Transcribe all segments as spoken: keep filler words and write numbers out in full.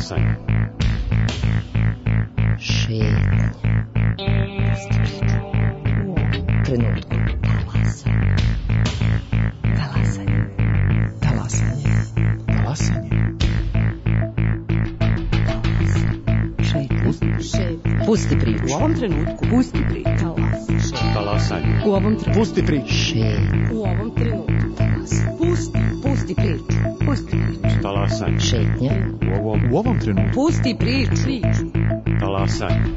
Talasanje. Šetnje. Trenutku. Talasanje. Talasanje. Talasanje. Šetnje. Šetnje. Pusti priču. U ovom trenutku. Pusti priču. Talasanje. U ovom trenutku. Pusti priču. Šetnje. U ovom trenutku. Pusti. Pusti priču. Pusti priču. Talasanje. Šetnje. U ovom, U ovom trenutku. Pusti priču. Priču. talasanje.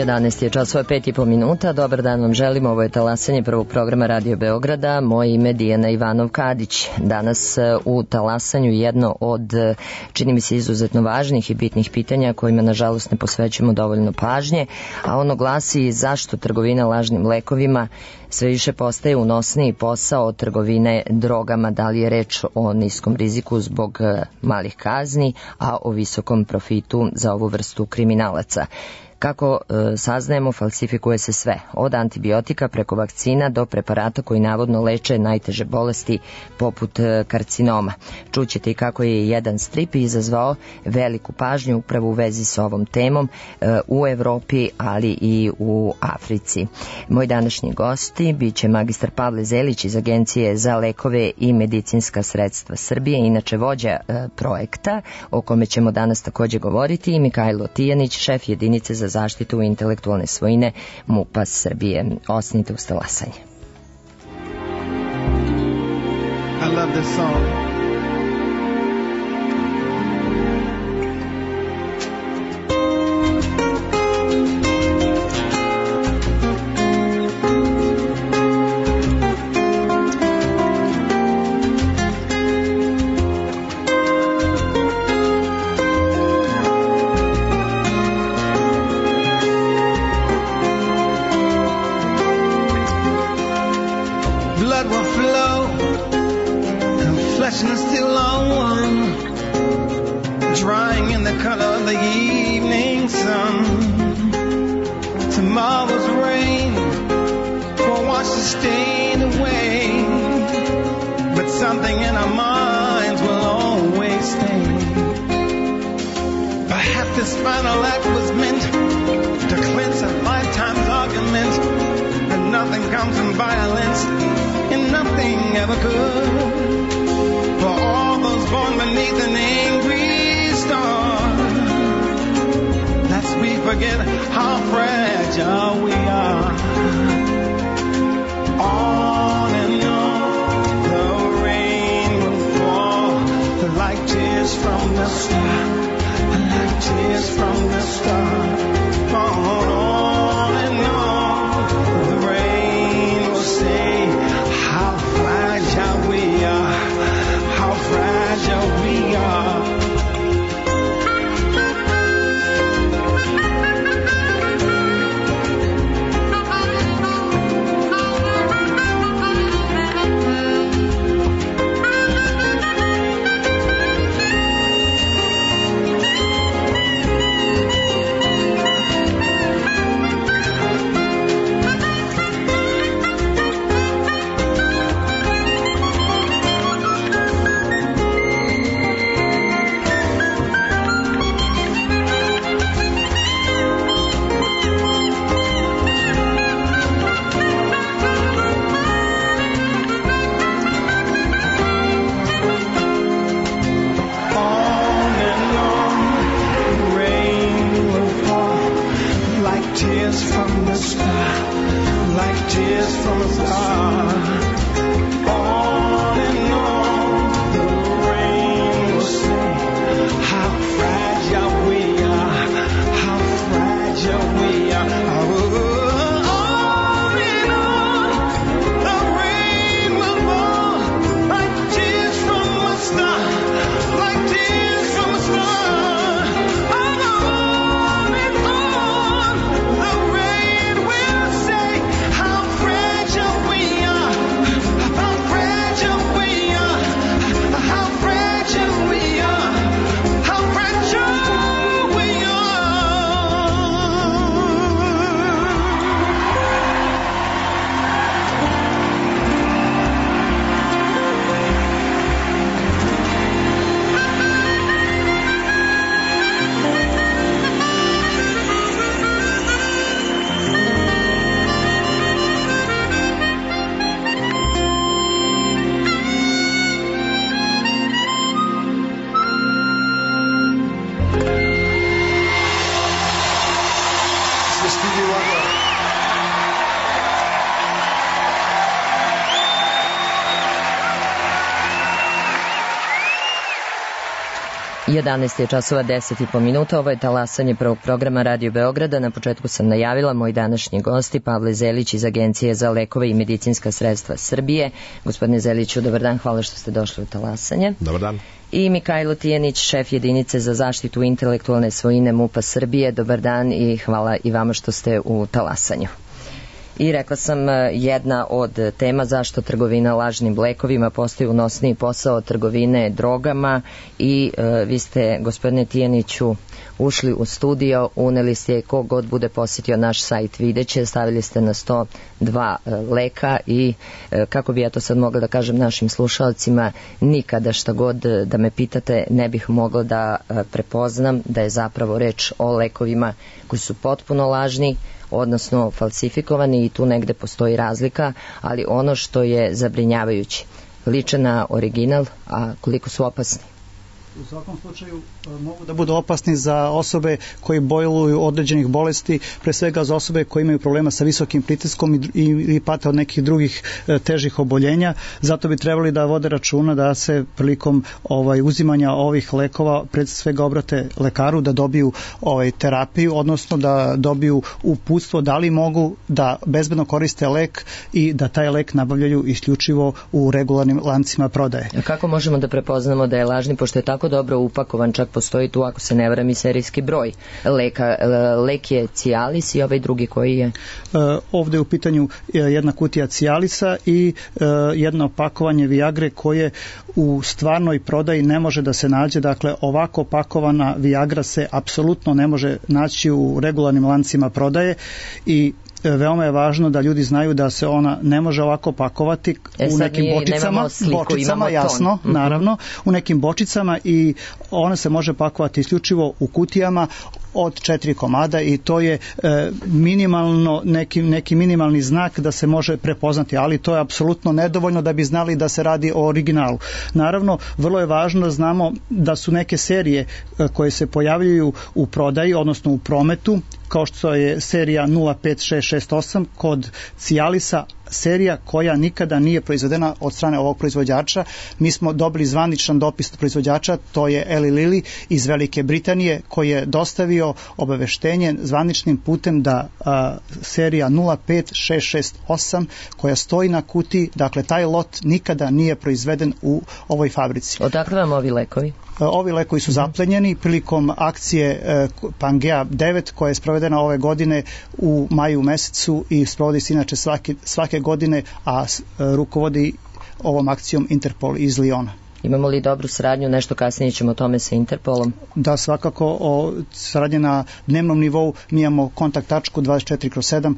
jedanaest je časova, pet i po minuta. Dobar dan vam želim. Ovo je talasanje prvog programa Radio Beograda. Moje ime je Dijana Ivanov-Kadić. Danas u talasanju jedno od, čini mi se, izuzetno važnih i bitnih pitanja kojima nažalost ne posvećujemo dovoljno pažnje, a ono glasi zašto trgovina lažnim lekovima sve više postaje unosniji posao od trgovine drogama. Da li je reč o niskom riziku zbog malih kazni, a o visokom profitu za ovu vrstu kriminalaca? Kako e, saznajemo, falsifikuje se sve, od antibiotika preko vakcina do preparata koji navodno leče najteže bolesti poput e, karcinoma. Čućete i kako je jedan strip izazvao veliku pažnju upravo u vezi s ovom temom e, u Evropi, ali i u Africi. Moj današnji gosti biće magistar Pavle Zelić iz Agencije za lekove i medicinska sredstva Srbije, inače vođa e, projekta o kome ćemo danas također govoriti, i Mihajlo Tijanić, šef jedinice za zaštitu intelektualne svojine MUP-a Srbije. Ostanite uz talasanje. I love this song. And still on one, drying in the color of the evening sun. Tomorrow's rain will wash the stain away, but something in our minds will always stay. Perhaps this final act was meant to cleanse a lifetime's argument, and nothing comes from violence, and nothing ever could. For all those born beneath an angry star, lest we forget how fragile we are. On and on the rain will fall, like tears from the star, like tears from the star. On, on and on the rain will say how fragile we are. How fragile we are. jedanaest je časova deset i po minuta, ovo je talasanje prvog programa Radio Beograda. Na početku sam najavila moj današnji gosti Pavle Zelić iz Agencije za lekove i medicinska sredstva Srbije. Gospodine Zeliću, dobar dan, hvala što ste došli u talasanje. Dobar dan. I Mikajlo Tijanić, šef jedinice za zaštitu intelektualne svojine MUP-a Srbije. Dobar dan i hvala i vama što ste u talasanju. I rekla sam, jedna od tema zašto trgovina lažnim lekovima postaje unosniji posao trgovine drogama i e, vi ste, gospodine Tijaniću, ušli u studio, uneli ste, ko god bude posjetio naš sajt videće, stavili ste na sto dva e, leka i e, kako bi ja to sad mogla da kažem našim slušalcima, nikada šta god da me pitate ne bih mogla da e, prepoznam da je zapravo reč o lekovima koji su potpuno lažni, odnosno falsifikovani, i tu negde postoji razlika, ali ono što je zabrinjavajuće, liče na original, a koliko su opasni? U svakom slučaju mogu da budu opasni za osobe koji boluju određenih bolesti, pre svega za osobe koje imaju problema sa visokim pritiskom i, i, i pate od nekih drugih e, težih oboljenja. Zato bi trebali da vode računa da se prilikom ovaj uzimanja ovih lekova pred svega obrate lekaru da dobiju ovaj terapiju, odnosno da dobiju uputstvo da li mogu da bezbedno koriste lek i da taj lek nabavljaju isključivo u regularnim lancima prodaje. A kako možemo da prepoznamo da je lažni, pošto je tako dobro upakovan, čak postoji tu, ako se ne varam, i serijski broj leka. Lek je Cialis i ovaj drugi koji je? Ovde je u pitanju jedna kutija Cialisa i jedno pakovanje Viagre koje u stvarnoj prodaji ne može da se nađe. Dakle, ovako pakovana Viagra se apsolutno ne može naći u regularnim lancima prodaje i veoma je važno da ljudi znaju da se ona ne može ovako pakovati e, u nekim mi bočicama, sliku, bočicama jasno, mm-hmm. naravno, u nekim bočicama i ona se može pakovati isključivo u kutijama od četiri komada i to je e, minimalno neki, neki minimalni znak da se može prepoznati, ali to je apsolutno nedovoljno da bi znali da se radi o originalu. Naravno, vrlo je važno da znamo da su neke serije e, koje se pojavljuju u prodaji, odnosno u prometu, kao što je serija nula pet šest šest osam kod Cialisa, serija koja nikada nije proizvedena od strane ovog proizvođača. Mi smo dobili zvaničan dopis od proizvođača, to je Eli Lilly iz Velike Britanije, koji je dostavio obaveštenje zvaničnim putem da a, serija nula pet šest šest osam koja stoji na kutiji, dakle taj lot nikada nije proizveden u ovoj fabrici. Odakle vam ovi lekovi? Ovi lekovi su zaplenjeni prilikom akcije Pangea devet koja je sprovedena ove godine u maju mesecu i sprovodi se inače svake, svake godine, a rukovodi ovom akcijom Interpol iz Liona. Imamo li dobru saradnju, nešto kasnije ćemo o tome sa Interpolom? Da, svakako o saradnje na dnevnom nivou, mi imamo kontakt tačku dvadeset četiri kroz sedam,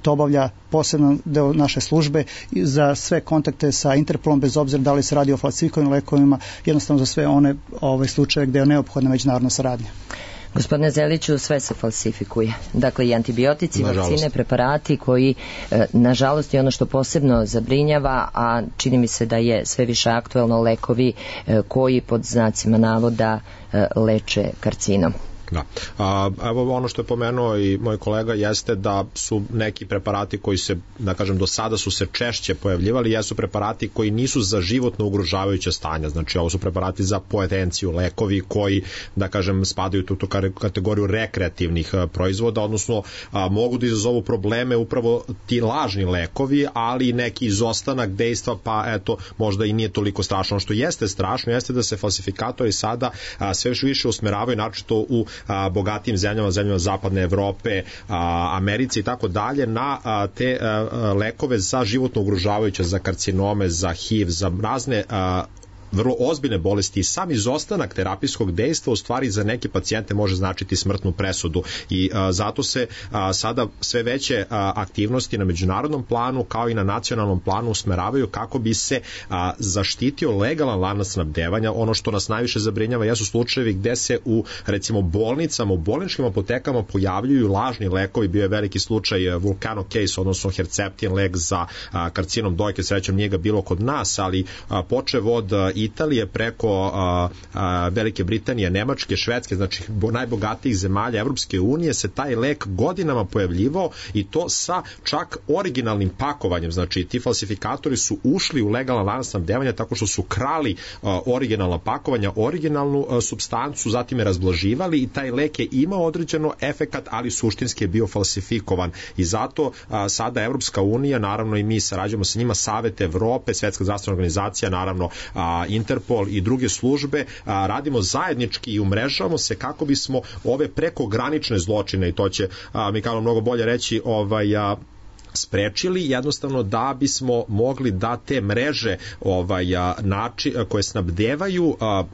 to obavlja posebno deo naše službe za sve kontakte sa Interpolom, bez obzira da li se radi o falsifikovanim lekovima, jednostavno za sve one ove slučaje gde je neophodna međunarodna saradnja. Gospodine Zeliću, sve se falsifikuje. Dakle, i antibiotici, nažalost, vakcine, preparati koji, e, nažalost, je ono što posebno zabrinjava, a čini mi se da je sve više aktuelno, lekovi e, koji pod znacima navoda e, leče karcinom. Da. A, evo ono što je pomenuo i moj kolega jeste da su neki preparati koji se, da kažem, do sada su se češće pojavljivali, jesu preparati koji nisu za životno ugrožavajuće stanja, znači ovo su preparati za poetenciju, lekovi koji, da kažem, spadaju u tu kategoriju rekreativnih proizvoda, odnosno a, mogu da izazovu probleme upravo ti lažni lekovi, ali neki izostanak dejstva, pa eto, možda i nije toliko strašno. Ono što jeste strašno jeste da se falsifikatori sada a, sve više usmeravaju, naročito u a, bogatijim zemljama, zemljama zapadne Evrope, a, Americi i tako dalje, na a, te a, lekove za životno ugrožavajuće, za karcinome, za H I V, za razne a, vrlo ozbiljne bolesti i sam izostanak terapijskog dejstva u stvari za neke pacijente može značiti smrtnu presudu i a, zato se a, sada sve veće a, aktivnosti na međunarodnom planu kao i na nacionalnom planu usmeravaju kako bi se a, zaštitio legalan lanac snabdevanja. Ono što nas najviše zabrinjava jesu slučajevi gde se u recimo bolnicama, u bolničkim apotekama pojavljuju lažni lekovi. Bio je veliki slučaj Vulcano case, odnosno Herceptin lek za a, karcinom dojke, srećom nije ga bilo kod nas, ali a, počev od a, Italije preko a, a, Velike Britanije, Nemačke, Švedske, znači najbogatijih zemalja Evropske unije se taj lek godinama pojavljivao i to sa čak originalnim pakovanjem, znači ti falsifikatori su ušli u legalan lanac snabdevanja tako što su krali a, originalna pakovanja, originalnu a, supstancu, zatim je razblaživali i taj lek je imao određeno efekat, ali suštinski je bio falsifikovan i zato a, sada Evropska unija, naravno i mi sarađujemo sa njima, Savet Evrope, Svetska zdravstvena organizacija, naravno a, Interpol i druge službe, a, radimo zajednički i umrežavamo se kako bismo ove prekogranične zločine, i to će a, Mikalo mnogo bolje reći, ovaj, a, sprečili, jednostavno da bismo mogli da te mreže ovaj, način, koje snabdevaju a,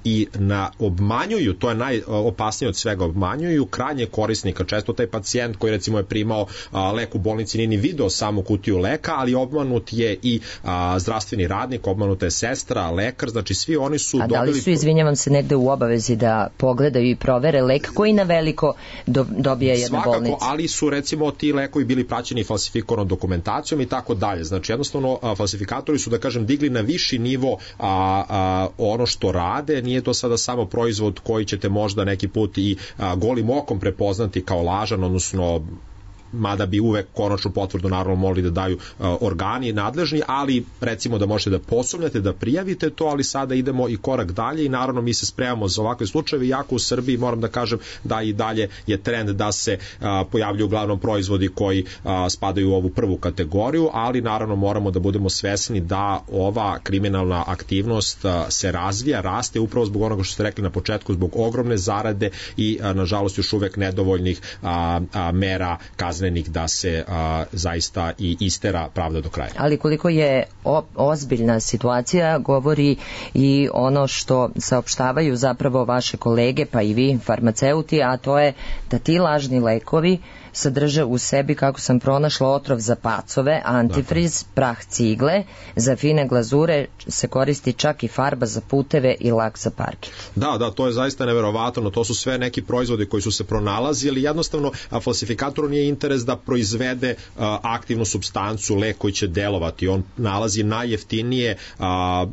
i na obmanjuju, to je najopasnije od svega, obmanjuju krajnje korisnika. Često taj pacijent koji recimo je primao a, lek u bolnici nije ni video samu kutiju leka, ali obmanut je i a, zdravstveni radnik, obmanuta je sestra, lekar, znači svi oni su a dobili... A da li su, izvinjavam se, negde u obavezi da pogledaju i provere lek koji na veliko do, dobija jedna Svakako, bolnica? Svakako, ali su recimo ti lekovi bili praćeni falsifikovanom dokumentacijom i tako dalje. Znači jednostavno a, falsifikatori su, da kažem, digli na viši nivo a, a, ono što rade. Nije to sada samo proizvod koji ćete možda neki put i a, golim okom prepoznati kao lažan, odnosno mada bi uvek konačnu potvrdu naravno mogli da daju uh, organi nadležni, ali recimo da možete da posumnjate, da prijavite to, ali sada idemo i korak dalje i naravno mi se spremamo za ovakve slučajeve, jako u Srbiji moram da kažem da i dalje je trend da se uh, pojavljuju uglavnom proizvodi koji uh, spadaju u ovu prvu kategoriju, ali naravno moramo da budemo svesni da ova kriminalna aktivnost uh, se razvija, raste upravo zbog onoga što ste rekli na početku, zbog ogromne zarade i uh, nažalost još uvek nedovoljnih uh, uh, mera kaznenih da se a, zaista i istera pravda do kraja. Ali koliko je o, ozbiljna situacija govori i ono što saopštavaju zapravo vaše kolege pa i vi farmaceuti, a to je da ti lažni lekovi sadrže u sebi, kako sam pronašla, otrov za pacove, antifriz, dakle, prah cigle, za fine glazure se koristi čak i farba za puteve i lak za parking. Da, da, to je zaista neverovatno, to su sve neki proizvodi koji su se pronalazili, jednostavno a, falsifikatoru nije interes da proizvede a, aktivnu supstancu, lek koji će delovati, on nalazi najjeftinije a,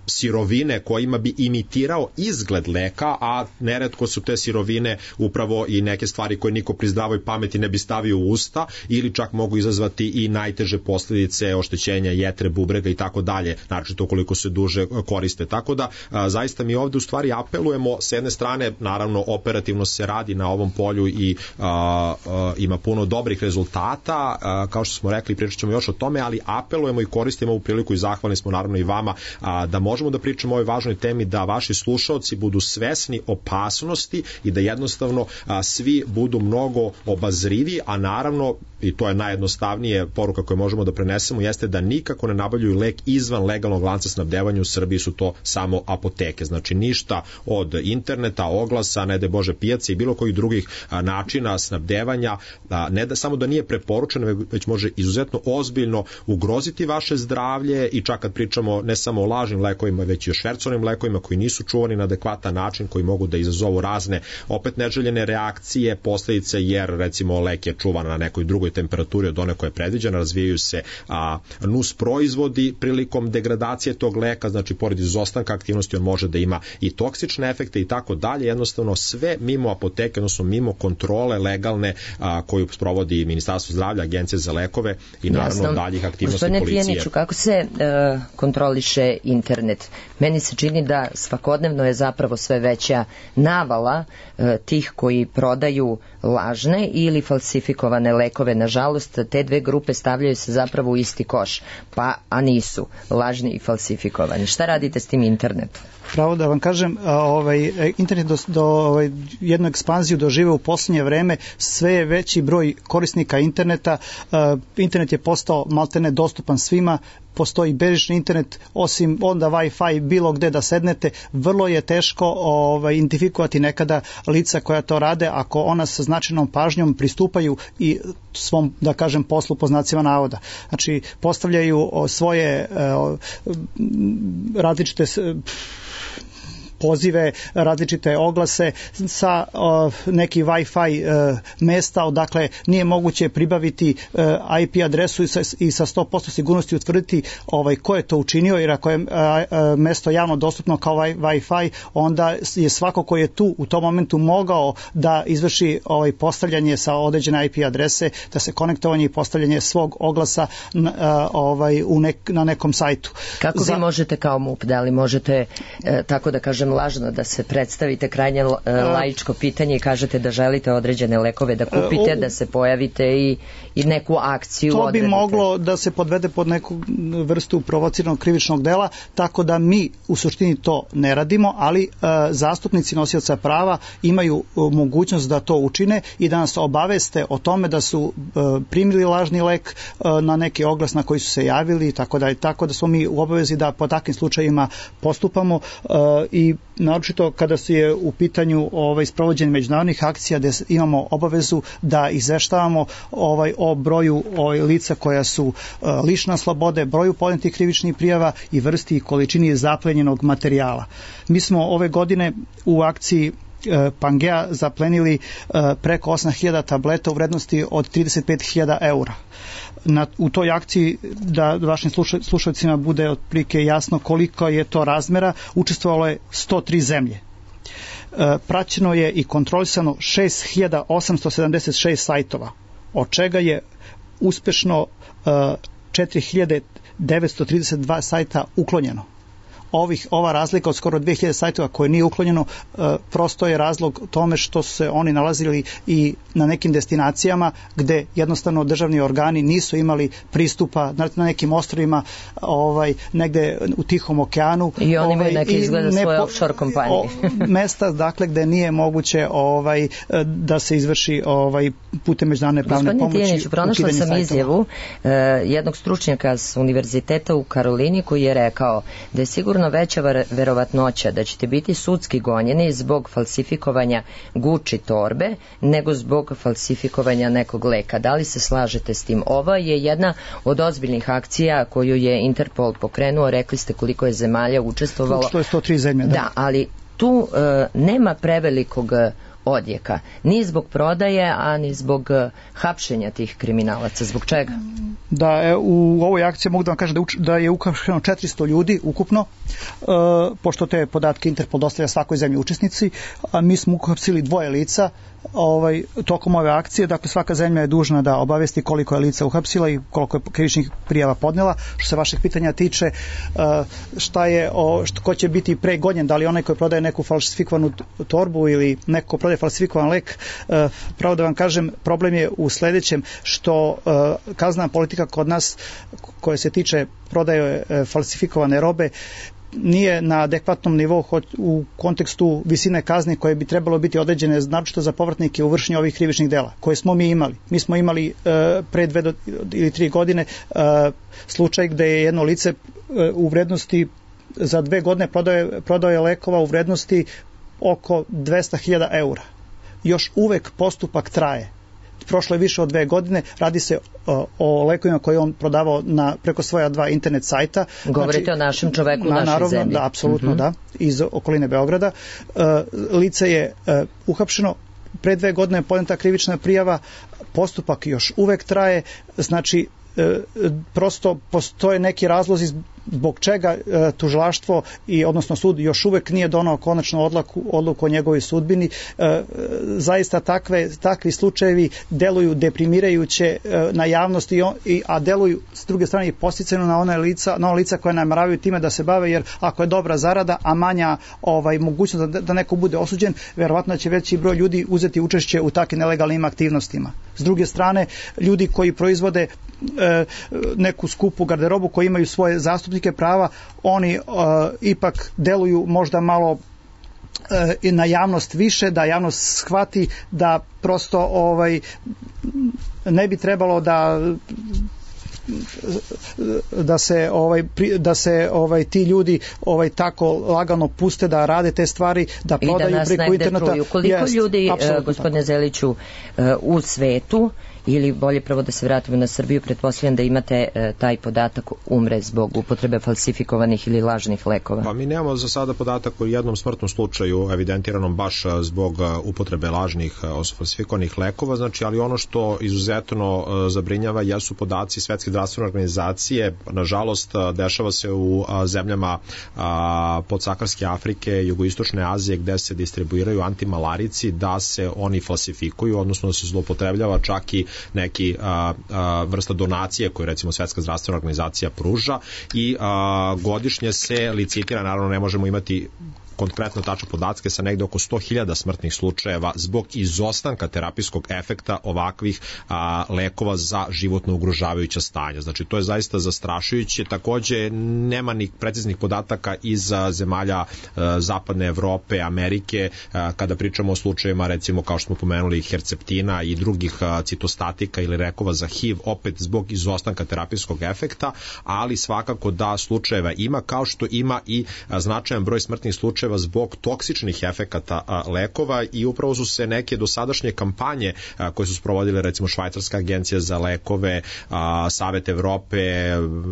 sirovine kojima bi imitirao izgled leka, a neretko su te sirovine upravo i neke stvari koje niko pri zdravoj pameti ne bi stavio u usta ili čak mogu izazvati i najteže posljedice oštećenja jetre, bubrega i tako dalje, naročito ukoliko se duže koriste. Tako da a, zaista mi ovde u stvari apelujemo, s jedne strane naravno operativno se radi na ovom polju i a, a, ima puno dobrih rezultata, a, kao što smo rekli, pričat ćemo još o tome, ali apelujemo i koristimo ovu priliku i zahvalni smo naravno i vama a, da možemo možemo da pričamo o ovoj važnoj temi, da vaši slušaoci budu svesni opasnosti i da jednostavno a, svi budu mnogo obazrivi, a naravno, i to je najjednostavnije poruka koju možemo da prenesemo, jeste da nikako ne nabavljuju lek izvan legalnog lanca snabdevanja. U Srbiji su to samo apoteke, znači ništa od interneta, oglasa, ne de Bože pijace i bilo kojih drugih a, načina snabdevanja, a, ne da samo da nije preporučeno, već može izuzetno ozbiljno ugroziti vaše zdravlje i čak kad pričamo ne samo o lažnim lekovima, već i o švercovnim lekovima koji nisu čuvani na adekvatan način, koji mogu da izazovu razne opet neželjene reakcije, posljedice, jer recimo lek je čuvan na nekoj drugoj temperaturi od one koja je predviđena, razvijaju se a, nus proizvodi prilikom degradacije tog leka, znači pored izostanka aktivnosti on može da ima i toksične efekte i tako dalje, jednostavno sve mimo apoteke, odnosno mimo kontrole legalne a, koju sprovodi Ministarstvo zdravlja, Agencija za lekove i naravno Jasno. daljih aktivnosti Gospodine policije. Tijaniću, kako se e, kontroliše internet? Meni se čini da svakodnevno je zapravo sve veća navala e, tih koji prodaju lažne ili falsifikovane lekove. Nažalost, te dve grupe stavljaju se zapravo u isti koš, pa a nisu lažni i falsifikovani. Šta radite s tim internetom? Pravo da vam kažem, ovaj, internet do, do ovaj, jednu ekspanziju dožive u posljednje vreme, sve je veći broj korisnika interneta, internet je postao maltene dostupan svima, postoji bežični internet, osim onda Wi-Fi bilo gde da sednete, vrlo je teško ovaj, identifikovati nekada lica koja to rade, ako ona sa značajnom pažnjom pristupaju i svom, da kažem, poslu po znacima navoda. Znači, postavljaju svoje uh, različite pozive, različite oglase sa uh, neki Wi-Fi uh, mesta, odakle nije moguće pribaviti uh, I P adresu i sa, i sa sto posto sigurnosti utvrditi ovaj, ko je to učinio, jer ako je uh, uh, mesto javno dostupno kao Wi-Fi, onda je svako ko je tu u tom momentu mogao da izvrši ovaj, postavljanje sa određene I P adrese, da se konektovanje i postavljanje svog oglasa na, uh, ovaj, u nek, na nekom sajtu. Kako Za... vi možete kao M U P, da li možete, e, tako da kažem, lažno da se predstavite krajnje e, laičko pitanje i kažete da želite određene lekove da kupite, da se pojavite i, i neku akciju to odredite? To bi moglo da se podvede pod neku vrstu provociranog krivičnog dela, tako da mi u suštini to ne radimo, ali e, zastupnici nosioca prava imaju e, mogućnost da to učine i da nas obaveste o tome da su e, primili lažni lek e, na neki oglas na koji su se javili, tako da, tako da smo mi u obavezi da po takvim slučajima postupamo uh, i naročito kada se je u pitanju ovaj sprovođenje međunarodnih akcija gde imamo obavezu da izveštavamo ovaj o broju ovaj lica koja su uh, lišena slobode, broju podnetih krivičnih prijava i vrsti i količini zaplenjenog materijala. Mi smo ove godine u akciji Pangea zaplenili preko osam hiljada tableta u vrednosti od trideset pet hiljada eura. Na, u toj akciji, da vašim sluša, slušalcima bude otprilike jasno koliko je to razmera, učestvovalo je sto tri zemlje. E, praćeno je i kontrolisano šest hiljada osamsto sedamdeset šest sajtova, od čega je uspešno e, četiri hiljade devetsto trideset dva sajta uklonjeno. Ovih, ova razlika od skoro dve hiljade sajtova koje nije uklonjeno, e, prosto je razlog tome što se oni nalazili i na nekim destinacijama gde jednostavno državni organi nisu imali pristupa, na, na nekim ostrvima, ovaj, negde u Tihom okeanu. I oni imaju neke izgleda svoje offshore kompanije. O, mesta, dakle, gde nije moguće ovaj, da se izvrši ovaj, putem međunarodne pravne Gospodine pomoći. Tijaniću, pronašla sam sajtova. izjavu uh, jednog stručnjaka s univerziteta u Karolini koji je rekao da je sigurno veća verovatnoća da ćete biti sudski gonjeni zbog falsifikovanja Gucci torbe nego zbog falsifikovanja nekog leka. Da li se slažete s tim? Ova je jedna od ozbiljnih akcija koju je Interpol pokrenuo. Rekli ste koliko je zemalja učestvovalo. Što je sto tri zemlje, da. Da, ali tu uh, nema prevelikog odjeka. Ni zbog prodaje, a ni zbog uh, hapšenja tih kriminalaca. Zbog čega? Da, e, u ovoj akciji mogu da vam kažem da, uč, da je uhapšeno četiristo ljudi ukupno, e, pošto te podatke Interpol dostavlja svakoj zemlji učesnici, a mi smo uhapsili dvoje lica ovaj, tokom ove akcije, dakle svaka zemlja je dužna da obavesti koliko je lica uhapsila i koliko je krivičnih prijava podnela. Što se vašeg pitanja tiče, e, šta je, o, što, ko će biti pregonjen, da li onaj koji prodaje neku falsifikovanu torbu ili neko ko prodaje falsifikovan lek, e, pravo da vam kažem, problem je u sledećem, što e, kaznena politika kod nas koje se tiče prodaje e, falsifikovane robe nije na adekvatnom nivou u kontekstu visine kazni koje bi trebalo biti određene naročito za povratnike u vršenju ovih krivičnih dela koje smo mi imali. Mi smo imali e, pre dve do, ili tri godine e, slučaj gde je jedno lice e, u vrednosti za dve godine prodaje, prodaje lekova u vrednosti oko dvesta hiljada eura. Još uvek postupak traje. Prošlo je više od dve godine, radi se o, o lekovima koje on prodavao na, preko svoja dva internet sajta. Govorite znači, o našem čoveku u na, našoj naravno, zemlji. Da, apsolutno, mm-hmm. da, iz okoline Beograda. Uh, lice je uh, uhapšeno, pre dve godine je podneta krivična prijava, postupak još uvek traje, znači prosto postoje neki razlozi zbog čega e, tužilaštvo i odnosno sud još uvek nije donao konačnu odluku, odluku o njegovoj sudbini. E, zaista takve, takvi slučajevi deluju deprimirajuće e, na javnost i, i, a deluju s druge strane i podsticajno na one lica, na one lica koje nameravaju time da se bave, jer ako je dobra zarada, a manja ovaj, mogućnost da, da neko bude osuđen, verovatno će veći broj ljudi uzeti učešće u takvim nelegalnim aktivnostima. S druge strane, ljudi koji proizvode e, neku skupu garderobu, koji imaju svoje zastupnike prava, oni uh, ipak deluju možda malo uh, i na javnost više, da javnost shvati da prosto ovaj ne bi trebalo da da se ovaj da se ovaj ti ljudi ovaj tako lagano puste da rade te stvari, da prodaju da preko interneta. Koliko jest, ljudi, gospodine Zeliću, u svetu ili bolje prvo da se vratimo na Srbiju, pretpostavljam da imate e, taj podatak umre zbog upotrebe falsifikovanih ili lažnih lekova. Pa mi nemamo za sada podatak o jednom smrtnom slučaju evidentiranom baš zbog upotrebe lažnih falsifikovanih lekova, znači, ali ono što izuzetno zabrinjava jesu podaci Svetske zdravstvene organizacije. Nažalost, dešava se u zemljama podsaharske Afrike, jugoistočne Azije, gde se distribuiraju antimalarici, da se oni falsifikuju, odnosno da se zloupotrebljava čak i neki a, a, vrsta donacije koju recimo Svetska zdravstvena organizacija pruža i a, godišnje se licitira, naravno ne možemo imati konkretno tačne podatke, sa negde oko sto hiljada smrtnih slučajeva zbog izostanka terapijskog efekta ovakvih a, lekova za životno ugrožavajuća stanja. Znači, to je zaista zastrašujuće. Takođe, nema ni preciznih podataka iz a, zemalja a, zapadne Evrope, Amerike, a, kada pričamo o slučajevima, recimo, kao što smo pomenuli, herceptina i drugih a, citostatika ili lekova za H I V, opet zbog izostanka terapijskog efekta, ali svakako da slučajeva ima, kao što ima i a, značajan broj smrtnih slučajeva zbog toksičnih efekata a, lekova i upravo su se neke dosadašnje kampanje a, koje su sprovodile recimo Švajcarska agencija za lekove, a, Savet Evrope,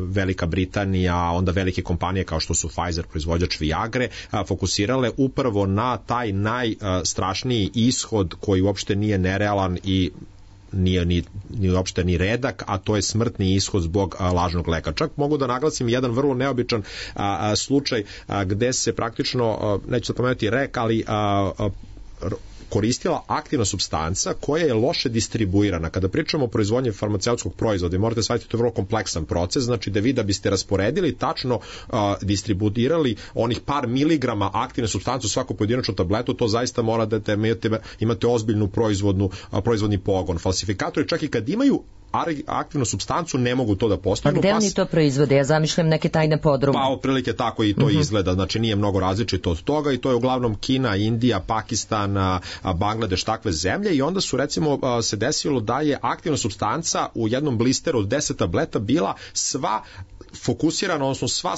Velika Britanija, onda velike kompanije kao što su Pfizer, proizvođač Viagre, a, fokusirale upravo na taj najstrašniji ishod koji uopšte nije nerealan i nije ni, ni uopšte ni redak, a to je smrtni ishod zbog a, lažnog leka. Čak mogu da naglasim jedan vrlo neobičan a, a, slučaj a, gde se praktično, a, neću da pomenuti rek, ali a, a, koristila aktivna supstanca koja je loše distribuirana. Kada pričamo o proizvodnji farmaceutskog proizvoda, morate shvatiti, to je vrlo kompleksan proces, znači da vi da biste rasporedili, tačno a, distribuirali onih par miligrama aktivne supstance u svaku pojedinačnu tabletu, to zaista mora da imate, imate ozbiljnu proizvodnu, a, proizvodni pogon. Falsifikatori čak i kad imaju aktivnu supstancu ne mogu to da postignu. A gde oni to proizvode? Ja zamišljam neke tajne podrume. Pa otprilike tako i to uh-huh. izgleda, znači nije mnogo različito od toga i to je uglavnom Kina, Indija, Pakistan, Bangladeš, takve zemlje i onda su recimo se desilo da je aktivna supstanca u jednom blisteru od deset tableta bila sva fokusirana, odnosno sva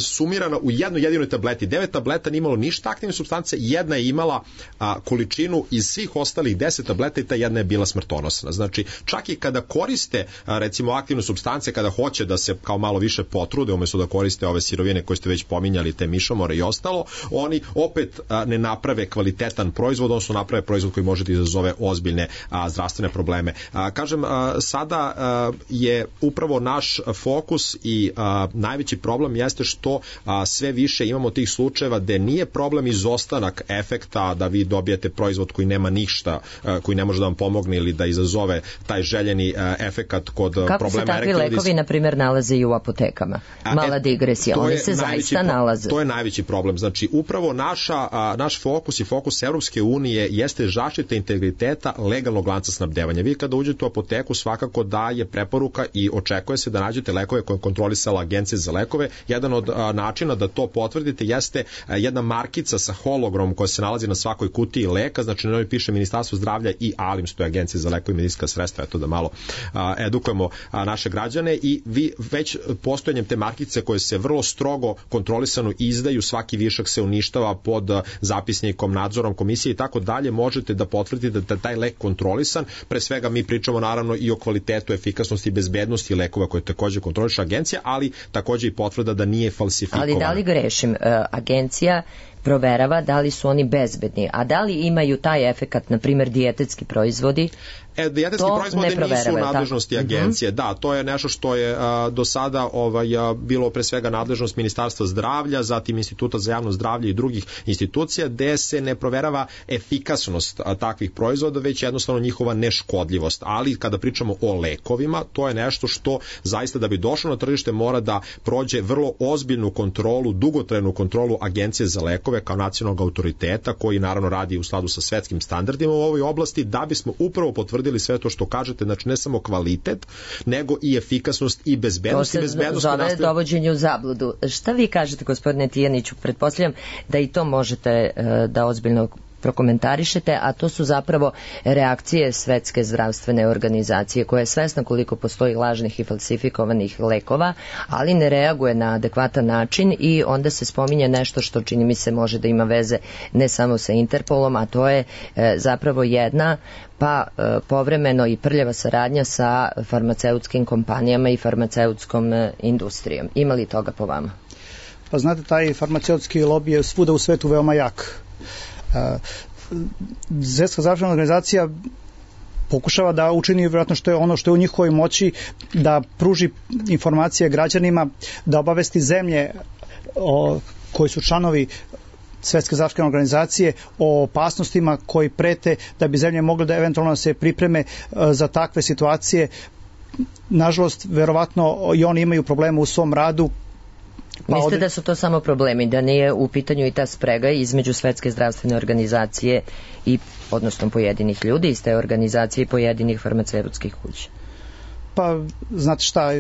sumirana u jednoj jedinoj tableti. Devet tableta nije imalo ništa aktivne supstance, jedna je imala a, količinu iz svih ostalih deset tableta i ta jedna je bila smrtonosna. Znači, čak i kada koriste, a, recimo, aktivne supstance, kada hoće da se kao malo više potrude, umjesto da koriste ove sirovine koje ste već pominjali, te mišomore i ostalo, oni opet a, ne naprave kvalitetan proizvod, odnosno naprave proizvod koji može da izazove ozbiljne a, zdravstvene probleme. A, kažem, a, sada a, je upravo naš fokus i a, najveći problem jeste što a, sve više imamo tih slučajeva gde nije problem izostanak efekta da vi dobijete proizvod koji nema ništa, a, koji ne može da vam pomogne ili da izazove taj željeni a, efekat kod kako problema. Kako se takvi lekovi, na primjer, nalaze i u apotekama? Mala e, digresija, oni se zaista nalaze. To je najveći problem. Znači, upravo naša, a, naš fokus i fokus Evropske unije jeste zaštita integriteta legalnog lanca snabdevanja. Vi kada uđete u apoteku, svakako da je preporuka i očekuje se da nađete lekove koje kontrolisala Agencija za lekove. Jedan od a, načina da to potvrdite jeste a, jedna markica sa hologramom koja se nalazi na svakoj kutiji leka, znači na njoj piše Ministarstvo zdravlja i ALIMS, to je Agencija za lekove i medicinska sredstva, eto da malo a, edukujemo a, naše građane i vi već postojanjem te markice koje se vrlo strogo kontrolisano izdaju, svaki višak se uništava pod a, zapisnikom, nadzorom komisije i tako dalje, možete da potvrdite da je taj lek kontrolisan. Pre svega mi pričamo naravno i o kvalitetu, efikasnosti i bezbednosti lekova koje takođe kontroliše agencija, ali takođe i potvrda da nije falsifikovan. Ali da li grešim? Agencija proverava da li su oni bezbedni, a da li imaju taj efekat, na primjer dijetetski proizvodi? E, dijetetski proizvodi nisu u nadležnosti tako? Agencije. Mm-hmm. Da, to je nešto što je a, do sada ovaj, a, bilo pre svega nadležnost Ministarstva zdravlja, zatim Instituta za javno zdravlje i drugih institucija, gde se ne proverava efikasnost a, takvih proizvoda, već jednostavno njihova neškodljivost. Ali kada pričamo o lekovima, to je nešto što zaista da bi došlo na tržište mora da prođe vrlo ozbiljnu kontrolu, dugotrajnu kontrolu Agencije za lekove kao nacionalnog autoriteta, koji naravno radi u skladu sa svetskim standardima u ovoj oblasti, da bismo upravo potvrdili sve to što kažete, znači ne samo kvalitet, nego i efikasnost i bezbednost. To se bezbednost zove nastav... dovođenje u zabludu. Šta vi kažete, gospodine Tijaniću? Pretpostavljam da i to možete uh, da ozbiljno prokomentarišete, a to su zapravo reakcije Svetske zdravstvene organizacije, koja je svesna koliko postoji lažnih i falsifikovanih lekova, ali ne reaguje na adekvatan način i onda se spominje nešto što čini mi se može da ima veze ne samo sa Interpolom, a to je e, zapravo jedna pa e, povremeno i prljava saradnja sa farmaceutskim kompanijama i farmaceutskom e, industrijom. Ima li toga po vama? Pa znate, taj farmaceutski lobby je svuda u svetu veoma jak. Svetska zdravstvena organizacija pokušava da učini vjerojatno što je ono što je u njihovoj moći, da pruži informacije građanima, da obavesti zemlje o, koji su članovi Svetske zdravstvene organizacije o opasnostima koji prete, da bi zemlje mogle da eventualno se pripreme za takve situacije. Nažalost, verovatno i oni imaju problema u svom radu. Pa Mislite ovdje... da su to samo problemi, da nije u pitanju i ta sprega između Svetske zdravstvene organizacije i, odnosno pojedinih ljudi iz te organizacije i pojedinih farmaceutskih kuća? Pa, znate šta,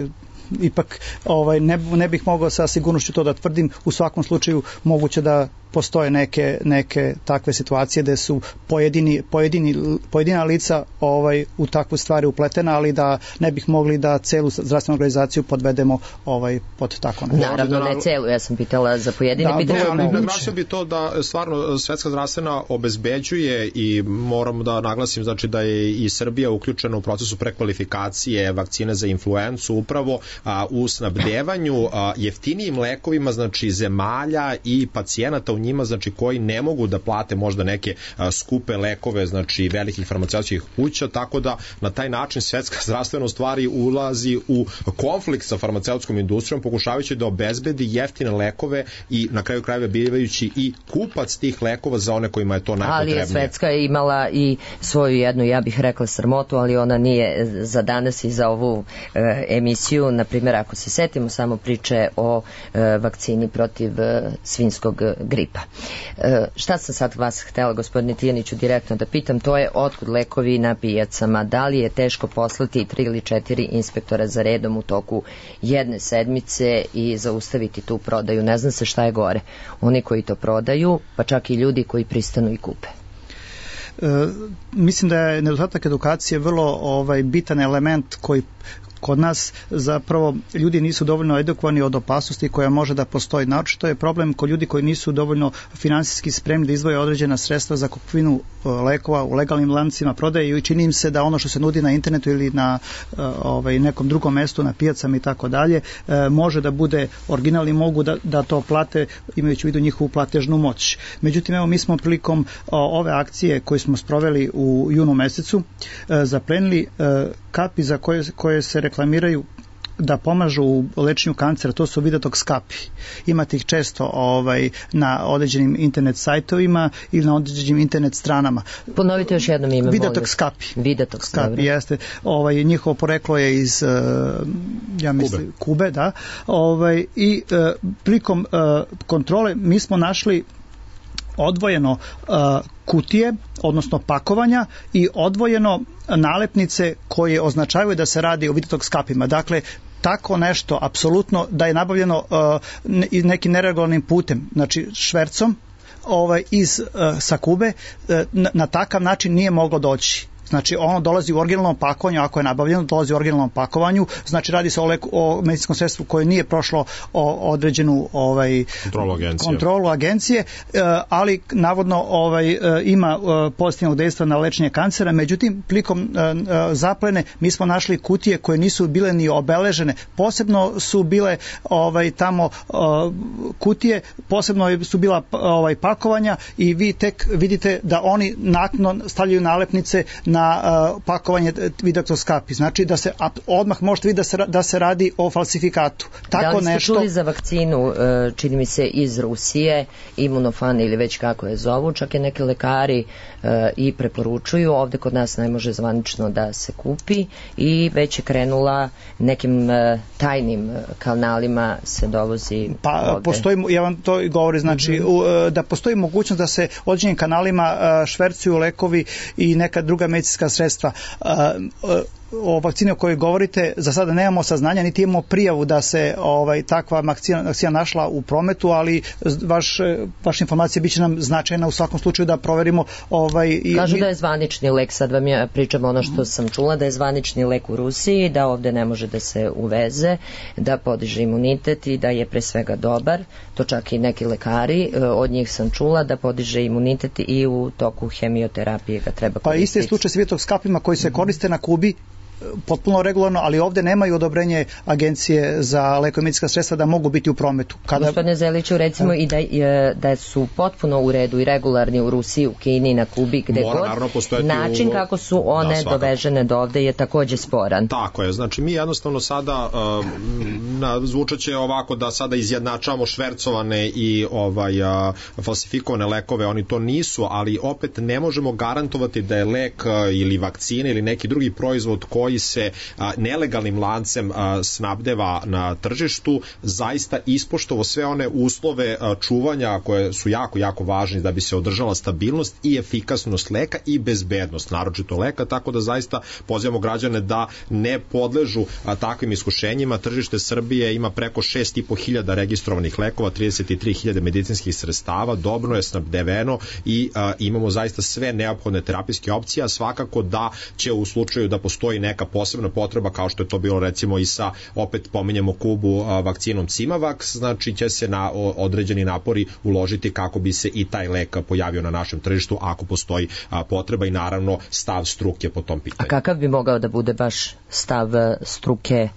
ipak ovaj, ne, ne bih mogao sa sigurnošću to da tvrdim. U svakom slučaju moguće da postoje neke, neke takve situacije gde su pojedini, pojedini, pojedina lica ovaj, u takve stvari upletena, ali da ne bih mogli da celu zdravstvenu organizaciju podvedemo ovaj, pod tako nešto. Naravno, ne celu, ja sam pitala za pojedine. Da, pitala, ali naglasio bi to da stvarno Svetska zdravstvena obezbeđuje i moram da naglasim znači da je i Srbija uključena u procesu prekvalifikacije vakcine za influencu upravo a, u snabdevanju a, jeftinijim lekovima znači zemalja i pacijenata u njima znači koji ne mogu da plate možda neke a, skupe lekove znači velikih farmaceutskih kuća, tako da na taj način Svetska zdravstvena u stvari ulazi u konflikt sa farmaceutskom industrijom pokušavajući da obezbedi jeftine lekove i na kraju krajeva bivajući i kupac tih lekova za one kojima je to najpotrebnije. Ali je Svetska imala i svoju jednu, ja bih rekla, sramotu, ali ona nije za danas i za ovu e, emisiju. Na primjer, ako se setimo samo priče o e, vakcini protiv e, svinjskog gripa. E, šta sam sad vas htela, gospodine Tijaniću, direktno da pitam, to je otkud lekovi na pijacama, da li je teško poslati tri ili četiri inspektora za redom u toku jedne sedmice i zaustaviti tu prodaju? Ne zna se šta je gore, oni koji to prodaju, pa čak i ljudi koji pristanu i kupe. E, mislim da je nedostatak edukacije vrlo ovaj, bitan element koji kod nas zapravo ljudi nisu dovoljno edukovani od opasnosti koja može da postoji. Naročito je problem kod ljudi koji nisu dovoljno finansijski spremni da izdvoje određena sredstva za kupovinu lekova u legalnim lancima prodaje i čini im se da ono što se nudi na internetu ili na ovaj, nekom drugom mestu, na pijacama i tako dalje, može da bude originalni, mogu da, da to plate imajući u vidu njihovu platežnu moć. Međutim, evo mi smo prilikom ove akcije koje smo sproveli u junu mesecu zaplenili kapi za koje, koje se reklamiraju da pomažu u lečenju kancera, to su Vidatox kapi. Imate ih često ovaj, na određenim internet sajtovima ili na određenim internet stranama. Ponovite još jednom ime. Vidatox kapi. Vidatox kapi, jeste. Ovaj, njihovo poreklo je iz uh, ja mislim, Kube, Kube da. Ovaj, i uh, prilikom uh, kontrole mi smo našli odvojeno uh, kutije, odnosno pakovanja i odvojeno nalepnice koje označavaju da se radi o Vidatox kapima. Dakle, tako nešto, apsolutno, da je nabavljeno uh, nekim neregularnim putem, znači švercom ovaj, iz, uh, sa Kube, uh, na, na takav način nije moglo doći. Znači, ono dolazi u originalnom pakovanju, ako je nabavljeno, dolazi u originalnom pakovanju, znači radi se o, leku, o medicinskom sredstvu koje nije prošlo o, određenu ovaj, kontrolu agencije, kontrolu agencije e, ali navodno ovaj, e, ima e, pozitivnog dejstva na lečenje kancera, međutim, prilikom e, e, zaplene mi smo našli kutije koje nisu bile ni obeležene, posebno su bile ovaj, tamo e, kutije, posebno su bila ovaj, pakovanja i vi tek vidite da oni naknadno stavljaju nalepnice na na uh, pakovanje Vidatox kapi. Znači da se odmah možete vidjeti da se, da se radi o falsifikatu. Tako da li ste nešto... čuli za vakcinu, uh, čini mi se iz Rusije, Imunofan ili već kako je zovu, čak i neki lekari uh, i preporučuju, ovde kod nas ne može zvanično da se kupi i već je krenula nekim uh, tajnim kanalima se dovozi pa ovde. Postoji, ja vam to govori, znači mm-hmm. uh, da postoji mogućnost da se određenim kanalima uh, švercuju lekovi i neka druga medicinska sredstva. o vakcini o kojoj govorite, za sada nemamo saznanja, niti imamo prijavu da se ovaj takva vakcina, vakcina našla u prometu, ali vaš, vaša informacija biće nam značajna u svakom slučaju da proverimo. Ovaj, Kažu mi... da je zvanični lek, sad vam ja pričam ono što sam čula, da je zvanični lek u Rusiji, da ovde ne može da se uveze, da podiže imunitet i da je pre svega dobar, to čak i neki lekari, od njih sam čula da podiže imunitet i u toku hemioterapije ga treba koristiti. Pa isti je slučaj s vitoskapima koji se koriste na Kubi potpuno regularno, ali ovde nemaju odobrenje Agencije za lekove i medicinska sredstva da mogu biti u prometu. Kada... Gospodine Zeliću, recimo i da, da su potpuno u redu i regularni u Rusiji, u Kini, na Kubi, gde Mora, god, način u... kako su one da, dovežene do ovde je takođe sporan. Tako je, znači mi jednostavno sada uh, na, zvučaće ovako da sada izjednačavamo švercovane i ovaj, uh, falsifikovane lekove, oni to nisu, ali opet ne možemo garantovati da je lek uh, ili vakcina ili neki drugi proizvod koji koji se a, nelegalnim lancem a, snabdeva na tržištu zaista ispoštovo sve one uslove a, čuvanja koje su jako, jako važni da bi se održala stabilnost i efikasnost leka i bezbednost, naročito leka, tako da zaista pozivamo građane da ne podležu a, takvim iskušenjima. Tržište Srbije ima preko šest i po hiljada registrovanih lekova, trideset tri hiljade medicinskih sredstava, dobro je snabdeveno i a, imamo zaista sve neophodne terapijske opcije, a svakako da će u slučaju da postoji neka posebna potreba, kao što je to bilo recimo i sa, opet pominjemo Kubu, a, vakcinom Cimavax, znači će se na o, određeni napori uložiti kako bi se i taj lek pojavio na našem tržištu ako postoji a, potreba i naravno stav struke po tom pitanju. A kakav bi mogao da bude baš stav struke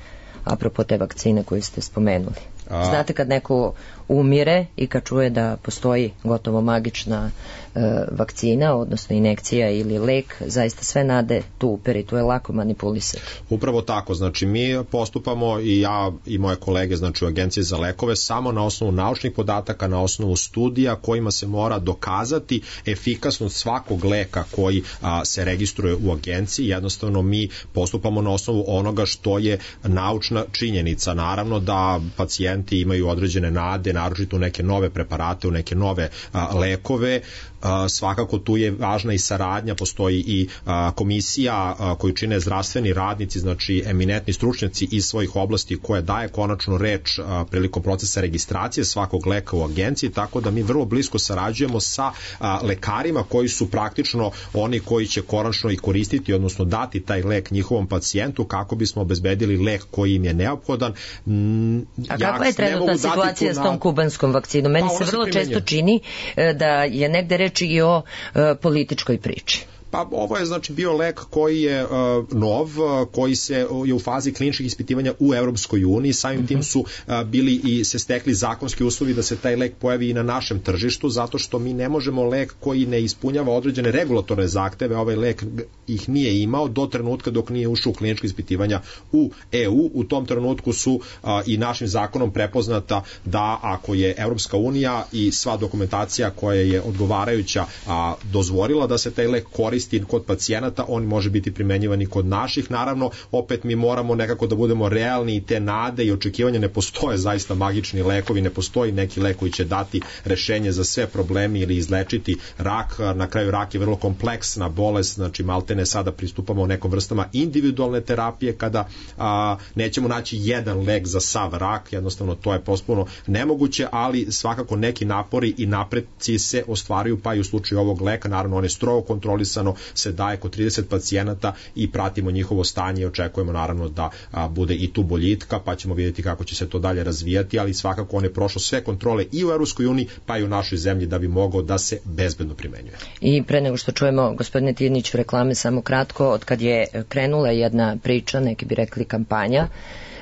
apropo te vakcine koju ste spomenuli? Znate, kad neko umire i kad čuje da postoji gotovo magična e, vakcina, odnosno injekcija ili lek, zaista sve nade tu uperi, tu je lako manipulisati. Upravo tako, znači mi postupamo i ja i moje kolege, znači u Agenciji za lekove, samo na osnovu naučnih podataka, na osnovu studija kojima se mora dokazati efikasnost svakog leka koji a, se registruje u agenciji. Jednostavno mi postupamo na osnovu onoga što je naučna činjenica. Naravno da pacijenti imaju određene nade, naročito u neke nove preparate, u neke nove a, lekove. A, svakako tu je važna i saradnja, postoji i a, komisija a, koju čine zdravstveni radnici, znači eminentni stručnjaci iz svojih oblasti koja daje konačnu reč a, prilikom procesa registracije svakog leka u agenciji, tako da mi vrlo blisko sarađujemo sa a, lekarima koji su praktično oni koji će konačno i koristiti, odnosno dati taj lek njihovom pacijentu kako bismo obezbedili lek koji im je neophodan. Mm, A kakva je trenutna situacija s tom kubanskom vakcinom? Meni pa, se vrlo se često čini da je negde reč i o e, političkoj priči. Pa ovo je znači bio lek koji je uh, nov, uh, koji se uh, je u fazi kliničkih ispitivanja u Evropskoj uniji, samim mm-hmm. tim su uh, bili i se stekli zakonski uslovi da se taj lek pojavi i na našem tržištu, zato što mi ne možemo lek koji ne ispunjava određene regulatorne zahteve, ovaj lek ih nije imao do trenutka dok nije ušao u klinička ispitivanja u E U. U tom trenutku su uh, i našim zakonom prepoznata da ako je Evropska unija i sva dokumentacija koja je odgovarajuća a, dozvolila da se taj lek koristi kod pacijenata, on može biti primenjivan i kod naših. Naravno, opet mi moramo nekako da budemo realni i te nade i očekivanja, ne postoje zaista magični lekovi, ne postoji neki lek koji će dati rešenje za sve problemi ili izlečiti rak. Na kraju rak je vrlo kompleksna bolest, znači maltene sada pristupamo nekom vrstama individualne terapije kada a, nećemo naći jedan lek za sav rak, jednostavno to je potpuno nemoguće, ali svakako neki napori i napreci se ostvaruju, pa i u slučaju ovog leka, naravno on je strogo kontrolisano, se daje kod trideset pacijenata i pratimo njihovo stanje i očekujemo naravno da a, bude i tu boljitka, pa ćemo vidjeti kako će se to dalje razvijati, ali svakako on je prošao sve kontrole i u Evropskoj uniji, pa i u našoj zemlji da bi mogao da se bezbedno primenjuje. I pre nego što čujemo, gospodine Tirnić, reklame, samo kratko, od kad je krenula jedna priča, neki bi rekli kampanja,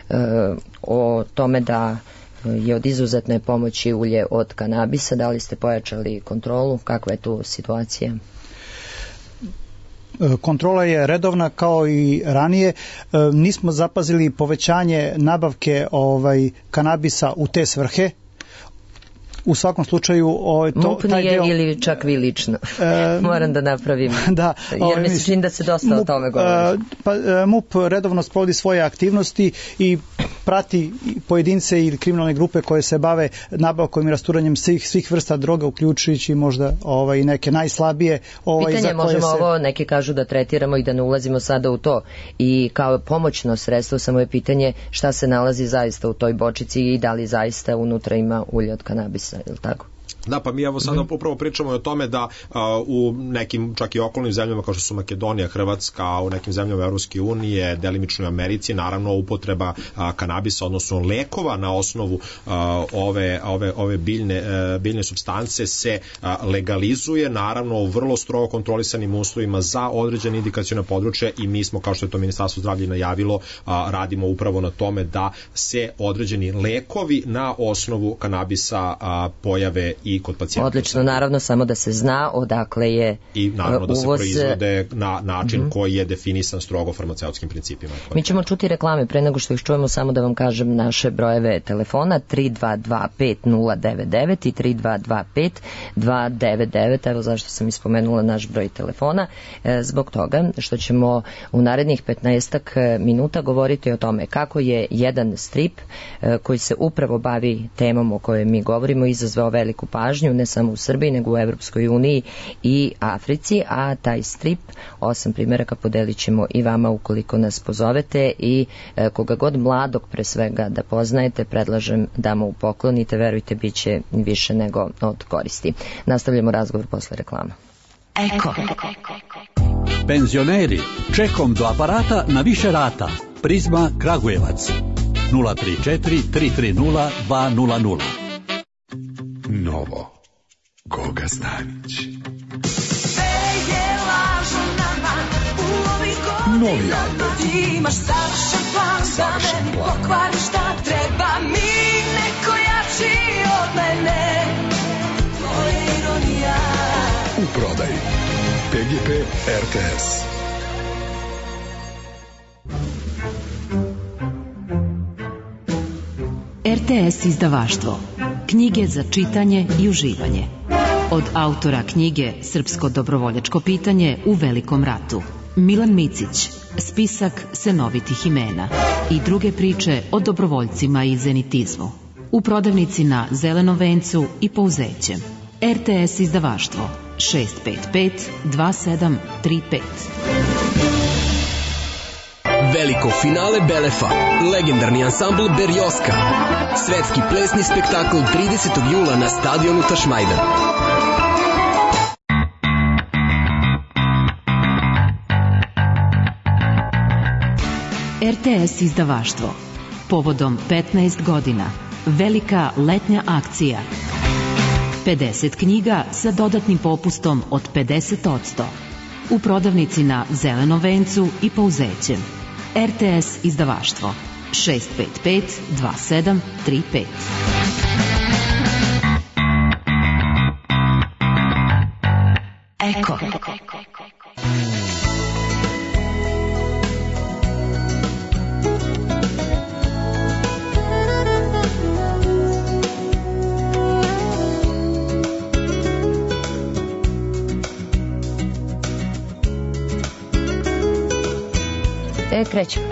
e, o tome da je od izuzetne pomoći ulje od kanabisa, da li ste pojačali kontrolu, kakva je tu situacija? Kontrola je redovna kao i ranije. Nismo zapazili povećanje nabavke ovaj kanabisa u te svrhe. U svakom slučaju ovaj to MUP taj dio ili čak vi lično. E, Moram da napravim. Da, jer ovaj, mi se čini da se dosta MUP, o tome govori. Pa MUP redovno sprovodi svoje aktivnosti i prati pojedince ili kriminalne grupe koje se bave nabavkom i rasturanjem svih, svih vrsta droga, uključujući možda ovaj, neke najslabije. Ovaj, Pitanje, za koje možemo se... ovo, neki kažu da tretiramo i da ne ulazimo sada u to. I kao pomoćno sredstvo, samo je pitanje šta se nalazi zaista u toj bočici i da li zaista unutra ima ulje od kanabisa, je li tako? Da, pa mi evo sada upravo pričamo o tome da a, u nekim čak i okolnim zemljama kao što su Makedonija, Hrvatska, u nekim zemljama Evropske unije, delimično u Americi, naravno upotreba a, kanabisa, odnosno lekova na osnovu a, ove, ove, ove biljne, a, biljne supstance se a, legalizuje, naravno u vrlo strogo kontrolisanim uslovima za određene indikacione područje i mi smo, kao što je to Ministarstvo zdravlja najavilo, a, radimo upravo na tome da se određeni lekovi na osnovu kanabisa a, pojave i kod pacijenta. Odlično, naravno, samo da se zna odakle je i naravno da se uvoz... proizvode na način mm-hmm. koji je definisan strogo farmaceutskim principima. Mi ćemo čuti reklame pre nego što ih čujemo, samo da vam kažem naše brojeve telefona tri dva dva pet nula devet devet i tri dva dva pet dva devet devet. Evo zašto sam ispomenula naš broj telefona, e, zbog toga što ćemo u narednih petnaestak minuta govoriti o tome kako je jedan strip e, koji se upravo bavi temom o kojoj mi govorimo izazvao veliku pažnju, ne samo u Srbiji, nego u Evropskoj uniji i Africi, a taj strip, osam primjeraka, podelit ćemo i vama ukoliko nas pozovete i e, koga god mladog pre svega da poznajete, predlažem da mu poklonite, verujte, bit će više nego od koristi. Nastavljamo razgovor posle reklama. Eko. Penzioneri, čekom do aparata na više rata. Prizma Kragujevac. nula tri četiri tri tri nula dva nula nula. Novo. Goga Stanić. Novi album. Imaš savršen plan, savršen da me plan. pokvari šta treba mi, neko jači od mene. To je ironija. U prodaji. P G P R T S. R T S izdavaštvo. Knjige za čitanje i uživanje. Od autora knjige Srpsko dobrovoljačko pitanje u Velikom ratu. Milan Micić, spisak senovitih imena i druge priče o dobrovoljcima i zenitizmu. U prodavnici na Zelenom vencu i Pouzećem. R T S izdavaštvo šest pet pet dva sedam tri pet. Veliko finale Belefa, legendarni ansambl Berjoska, svetski plesni spektakl tridesetog jula na stadionu Tašmajdan. R T S izdavaštvo. Povodom petnaest godina. Velika letnja akcija. pedeset knjiga sa dodatnim popustom od pedeset posto. U prodavnici na Zelenom vencu i Pouzećem. R T S izdavaštvo šest pet pet dva sedam tri pet. Eko. E, krećemo.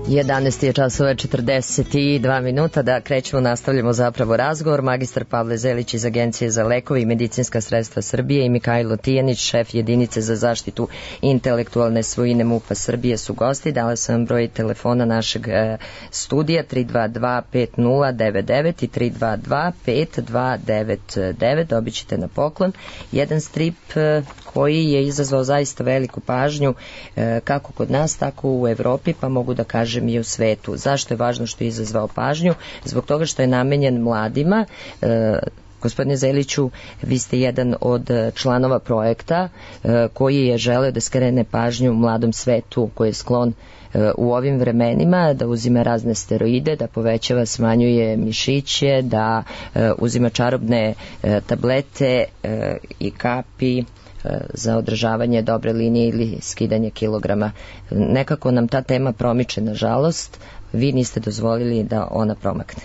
jedanaest je časova četrdeset dva minuta, da krećemo, nastavljamo zapravo razgovor. Magistar Pavle Zelić iz Agencije za lekove i medicinska sredstva Srbije i Mihajlo Tijanić, šef jedinice za zaštitu intelektualne svojine M U P-a Srbije su gosti. Dala sam vam broj telefona našeg e, studija tri dva dva pet nula devet devet i tri dva dva pet dva devet devet. Dobit ćete na poklon jedan strip e, koji je izazvao zaista veliku pažnju e, kako kod nas, tako u Evropi, pa mogu da kažem i u svetu. Zašto je važno što je izazvao pažnju? Zbog toga što je namenjen mladima. E, Gospodine Zeliću, vi ste jedan od članova projekta e, koji je želeo da skrene pažnju mladom svetu koji je sklon e, u ovim vremenima da uzima razne steroide, da povećava, smanjuje mišiće, da e, uzima čarobne e, tablete e, i kapi za održavanje dobre linije ili skidanje kilograma. Nekako nam ta tema promiče, nažalost, vi niste dozvolili da ona promakne.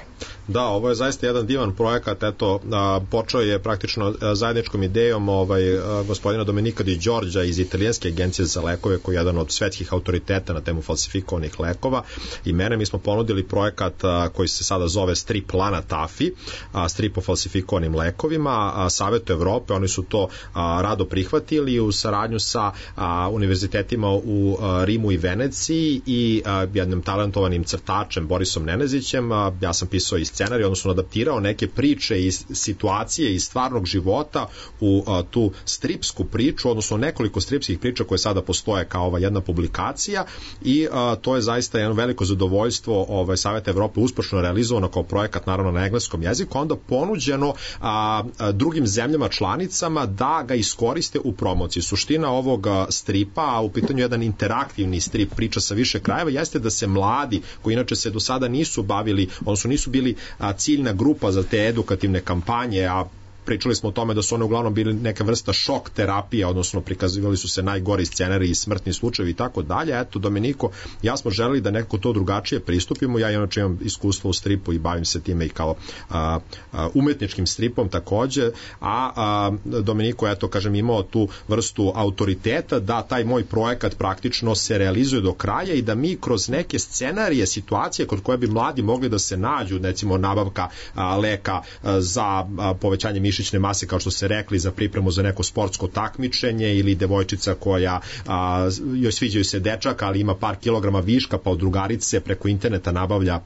Da, ovo je zaista jedan divan projekat, eto, a, počeo je praktično a, zajedničkom idejom ovaj, a, gospodina Domenika Di Đorđa iz Italijanske agencije za lekove, koji je jedan od svetskih autoriteta na temu falsifikovanih lekova, i mene. Mi smo ponudili projekat a, koji se sada zove Strip Lana Tafi, a, strip o falsifikovanim lekovima, a, Savetu Evrope, oni su to a, rado prihvatili u saradnju sa a, univerzitetima u a, Rimu i Veneciji i a, jednim talentovanim crtačem Borisom Nenezićem. A, ja sam pisao i scenarij, odnosno adaptirao neke priče i situacije iz stvarnog života u a, tu stripsku priču, odnosno nekoliko stripskih priča koje sada postoje kao ova jedna publikacija, i a, to je zaista jedno veliko zadovoljstvo ovaj, Saveta Evrope uspešno realizovano kao projekat, naravno na engleskom jeziku, onda ponuđeno a, a, drugim zemljama članicama da ga iskoriste u promociji. Suština ovog a, stripa, a u pitanju jedan interaktivni strip, priča sa više krajeva, jeste da se mladi, koji inače se do sada nisu bavili, odnosno nisu bili a, ciljna grupa za te edukativne kampanje, a pričali smo o tome da su one uglavnom bili neka vrsta šok terapije, odnosno prikazivali su se najgori scenariji i smrtni slučajevi i tako dalje. Eto, Domeniko, ja smo želeli da nekako to drugačije pristupimo. Ja inače imam iskustvo u stripu i bavim se time i kao a, a, umetničkim stripom takođe, a, a Domeniko, eto, kažem, imao tu vrstu autoriteta da taj moj projekat praktično se realizuje do kraja i da mi kroz neke scenarije, situacije kod koje bi mladi mogli da se nađu, recimo nabavka a, leka a, za a, povećanje mišićne mase, kao što ste rekli, za pripremu za neko sportsko takmičenje, ili devojčica koja a, joj sviđaju se dečak, ali ima par kilograma viška, pa od drugarice preko interneta nabavlja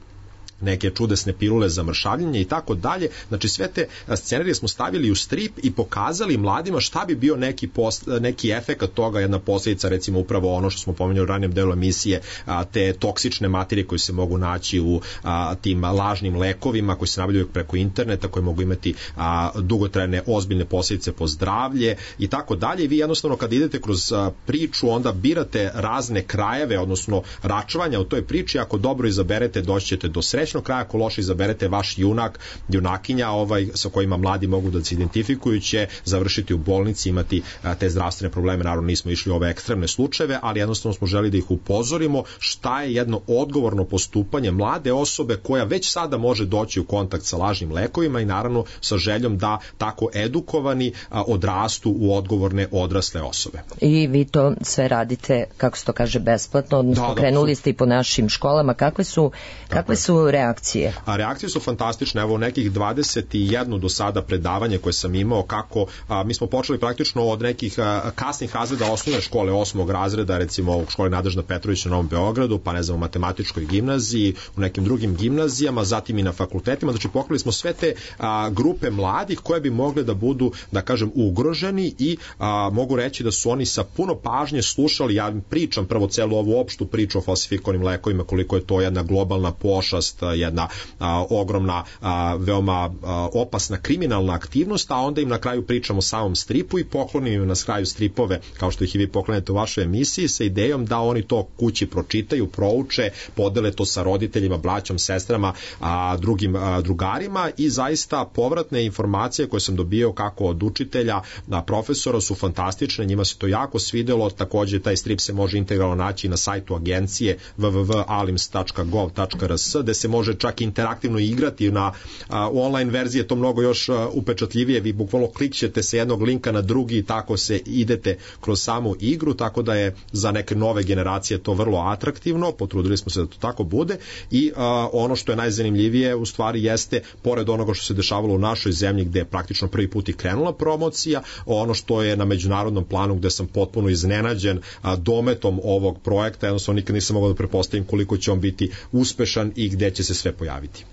neke čudesne pilule za mršavljenje i tako dalje. Znači, sve te scenarije smo stavili u strip i pokazali mladima šta bi bio neki, post, neki efekat toga, jedna posljedica, recimo upravo ono što smo pomenuli u ranijem delu emisije, a, te toksične materije koje se mogu naći u a, tim lažnim lekovima koji se nabavljaju preko interneta, koji mogu imati a, dugotrajne ozbiljne posljedice po zdravlje i tako dalje. I vi jednostavno kad idete kroz a, priču, onda birate razne krajeve, odnosno račvanja u toj priči. Ako dobro izaberete, doći ćete do sreće kraja, ako loše izaberete, vaš junak, junakinja ovaj, sa kojima mladi mogu da se identifikuju, će završiti u bolnici, imati a, te zdravstvene probleme. Naravno, nismo išli u ove ekstremne slučajeve, ali jednostavno smo želi da ih upozorimo šta je jedno odgovorno postupanje mlade osobe koja već sada može doći u kontakt sa lažnim lekovima, i naravno sa željom da tako edukovani a, odrastu u odgovorne odrasle osobe. I vi to sve radite, kako se to kaže, besplatno, odnosno da, da, krenuli ste i po našim školama. Kakve su, kakve su reakcije? A reakcije su fantastične. Evo, nekih dvadeset jedan do sada predavanja koje sam imao, kako a, mi smo počeli praktično od nekih a, kasnih razreda osnovne škole, osmog razreda, recimo u školi Nadežda Petrović na Novom Beogradu, pa ne znam, u matematičkoj gimnaziji, u nekim drugim gimnazijama, zatim i na fakultetima. Znači, pokrili smo sve te a, grupe mladih koje bi mogle da budu, da kažem, ugroženi, i a, mogu reći da su oni sa puno pažnje slušali. Ja pričam prvo celu ovu opštu priču o falsifikovanim lekovima, koliko je to jedna globalna pošast, jedna a, ogromna, a, veoma a, opasna kriminalna aktivnost, a onda im na kraju pričamo o samom stripu i poklonim im na kraju stripove, kao što ih i vi poklonete u vašoj emisiji, sa idejom da oni to kući pročitaju, prouče, podele to sa roditeljima, braćom, sestrama, a, drugim a, drugarima, i zaista povratne informacije koje sam dobio kako od učitelja, a, profesora, su fantastične, njima se to jako svidelo. Takođe, taj strip se može integralno naći na sajtu agencije w w w tačka alims tačka gov tačka r s, gde se može čak interaktivno igrati. Na a, u online verziji je to mnogo još a, upečatljivije. Vi bukvalno klikćete sa jednog linka na drugi i tako se idete kroz samu igru, tako da je za neke nove generacije to vrlo atraktivno. Potrudili smo se da to tako bude, i a, ono što je najzanimljivije u stvari jeste, pored onoga što se dešavalo u našoj zemlji gde je praktično prvi put i krenula promocija, ono što je na međunarodnom planu, gde sam potpuno iznenađen a, dometom ovog projekta. Jednostavno nikad nisam mogao da prepostavim koliko će on biti uspešan i gde će se sve pojaviti.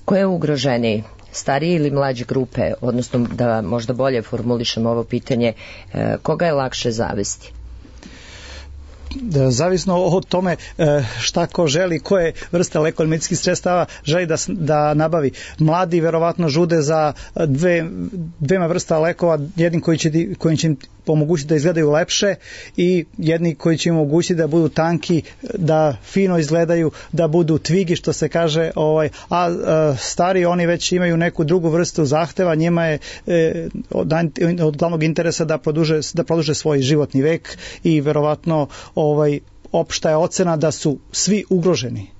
Ko je ugroženiji? Starije ili mlađe grupe? Odnosno, da možda bolje formulišem ovo pitanje, koga je lakše zavesti? Zavisno od tome šta ko želi, koje vrste lekova medicinskih sredstava želi da, da nabavi. Mladi verovatno žude za dve, dvema vrsta lekova, jednim koji će, koji će im omogućiti da izgledaju lepše, i jedni koji će im omogućiti da budu tanki, da fino izgledaju, da budu tvigi, što se kaže, ovaj, a, a stari oni već imaju neku drugu vrstu zahteva, njima je e, od, od glavnog interesa da produže, da produže svoj životni vek, i verovatno ovaj, opšta je ocena da su svi ugroženi.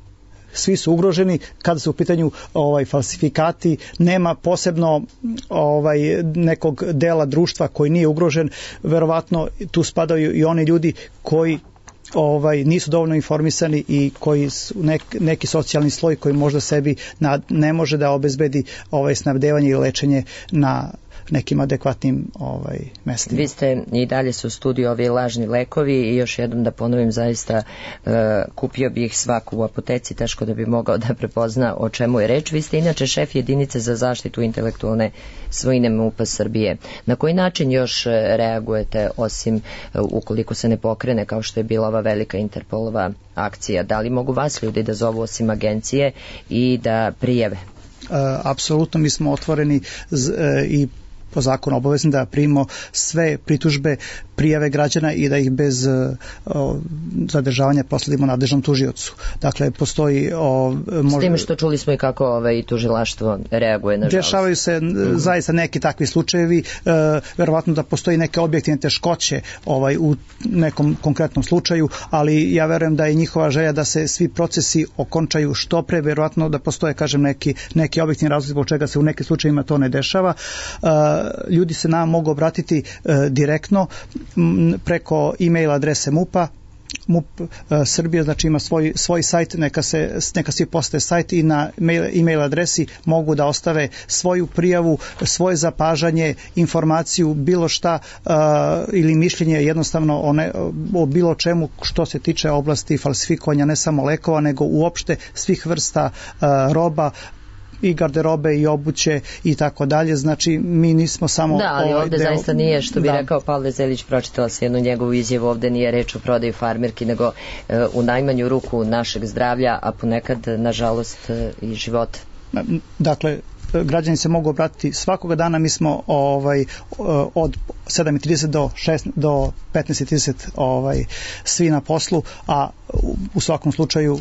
svi su ugroženi. Kada su u pitanju ovaj falsifikati, nema posebno ovaj nekog dela društva koji nije ugrožen. Verovatno tu spadaju i oni ljudi koji ovaj nisu dovoljno informisani i koji su nek, neki socijalni sloj koji možda sebi nad, ne može da obezbedi ovaj snabdevanje i lečenje na nekim adekvatnim ovaj mestima. Vi ste i dalje su u studiju ovi lažni lekovi i još jednom da ponovim, zaista uh, kupio bi ih svaku u apoteci, teško da bi mogao da prepozna o čemu je reč. Vi ste inače šef jedinice za zaštitu intelektualne svojine MUP-a Srbije. Na koji način još reagujete, osim uh, ukoliko se ne pokrene kao što je bila ova velika Interpolova akcija? Da li mogu vas ljudi da zovu osim agencije i da prijave? Uh, apsolutno, mi smo otvoreni z, uh, i po zakonu obavezni da primimo sve pritužbe, prijave građana i da ih bez o, zadržavanja prosledimo nadležnom tužiocu. Dakle, postoji o, možda... S tim što čuli smo i kako ovaj, tužilaštvo reaguje, nažalost. Dešavaju se mm-hmm. zaista neki takvi slučajevi, e, verovatno da postoji neke objektivne teškoće ovaj, u nekom konkretnom slučaju, ali ja verujem da je njihova želja da se svi procesi okončaju što pre, verovatno da postoje, kažem, neki, neki objektivni razlog zbog čega se u nekim slučajevima to ne dešava. E, ljudi se nam mogu obratiti e, direktno m, preko e-mail adrese MUP-a. MUP e, Srbija, znači ima svoj, svoj sajt, neka, se, neka svi postave sajt i na mail, e-mail adresi mogu da ostave svoju prijavu, svoje zapažanje, informaciju, bilo šta e, ili mišljenje jednostavno o, ne, o bilo čemu što se tiče oblasti falsifikovanja ne samo lekova, nego uopšte svih vrsta e, roba, i garderobe i obuće i tako dalje, znači mi nismo samo... Da, ali ovaj ovde deo... zaista nije, što bi da. rekao Pavle Zelić, pročitala se jednu njegovu izjavu, ovde nije reč o prodaji farmirki, nego e, u najmanju ruku našeg zdravlja, a ponekad, nažalost, e, i života. Dakle, građani se mogu obratiti svakoga dana, mi smo ovaj od sedam i trideset do šest do petnaest i trideset ovaj svi na poslu, a u svakom slučaju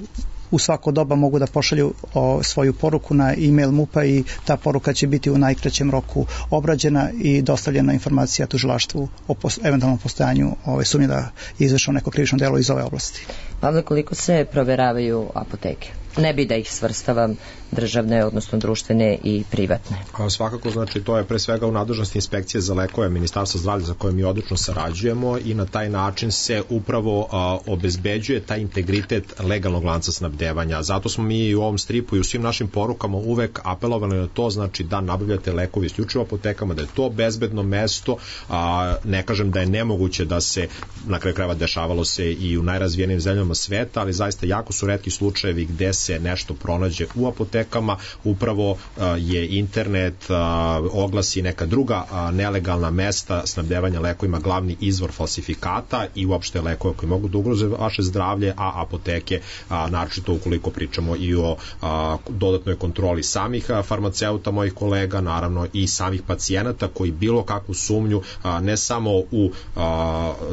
u svako doba mogu da pošalju o, svoju poruku na e-mail MUP-a i ta poruka će biti u najkraćem roku obrađena i dostavljena informacija tužilaštvu o pos, eventualnom postojanju ove sumnje da je izvršeno neko krivično delo iz ove oblasti. Pavle, koliko se proveravaju apoteke? Ne bi da ih svrstavam, državne, odnosno društvene i privatne. A svakako, znači, to je pre svega u nadležnosti inspekcije za lekove Ministarstva zdravlja za koje mi odlično sarađujemo i na taj način se upravo a, obezbeđuje taj integritet legalnog lanca snabdevanja. Zato smo mi u ovom stripu i u svim našim porukama uvek apelovali na to, znači da nabavljate lekovi isključivo apotekama, da je to bezbedno mesto, a, ne kažem da je nemoguće da se, na kraju krajeva dešavalo se i u najrazvijenijim zemljama sveta, ali zaista jako su retki slučajevi gde se nešto pronađe u apotekama, upravo uh, je internet, uh, oglasi neka druga uh, nelegalna mesta snabdevanja lekovima glavni izvor falsifikata i uopšte lekova koji mogu da ugroze vaše zdravlje, a apoteke, uh, naročito ukoliko pričamo i o uh, dodatnoj kontroli samih uh, farmaceuta, mojih kolega, naravno i samih pacijenata koji bilo kakvu sumnju uh, ne samo u uh,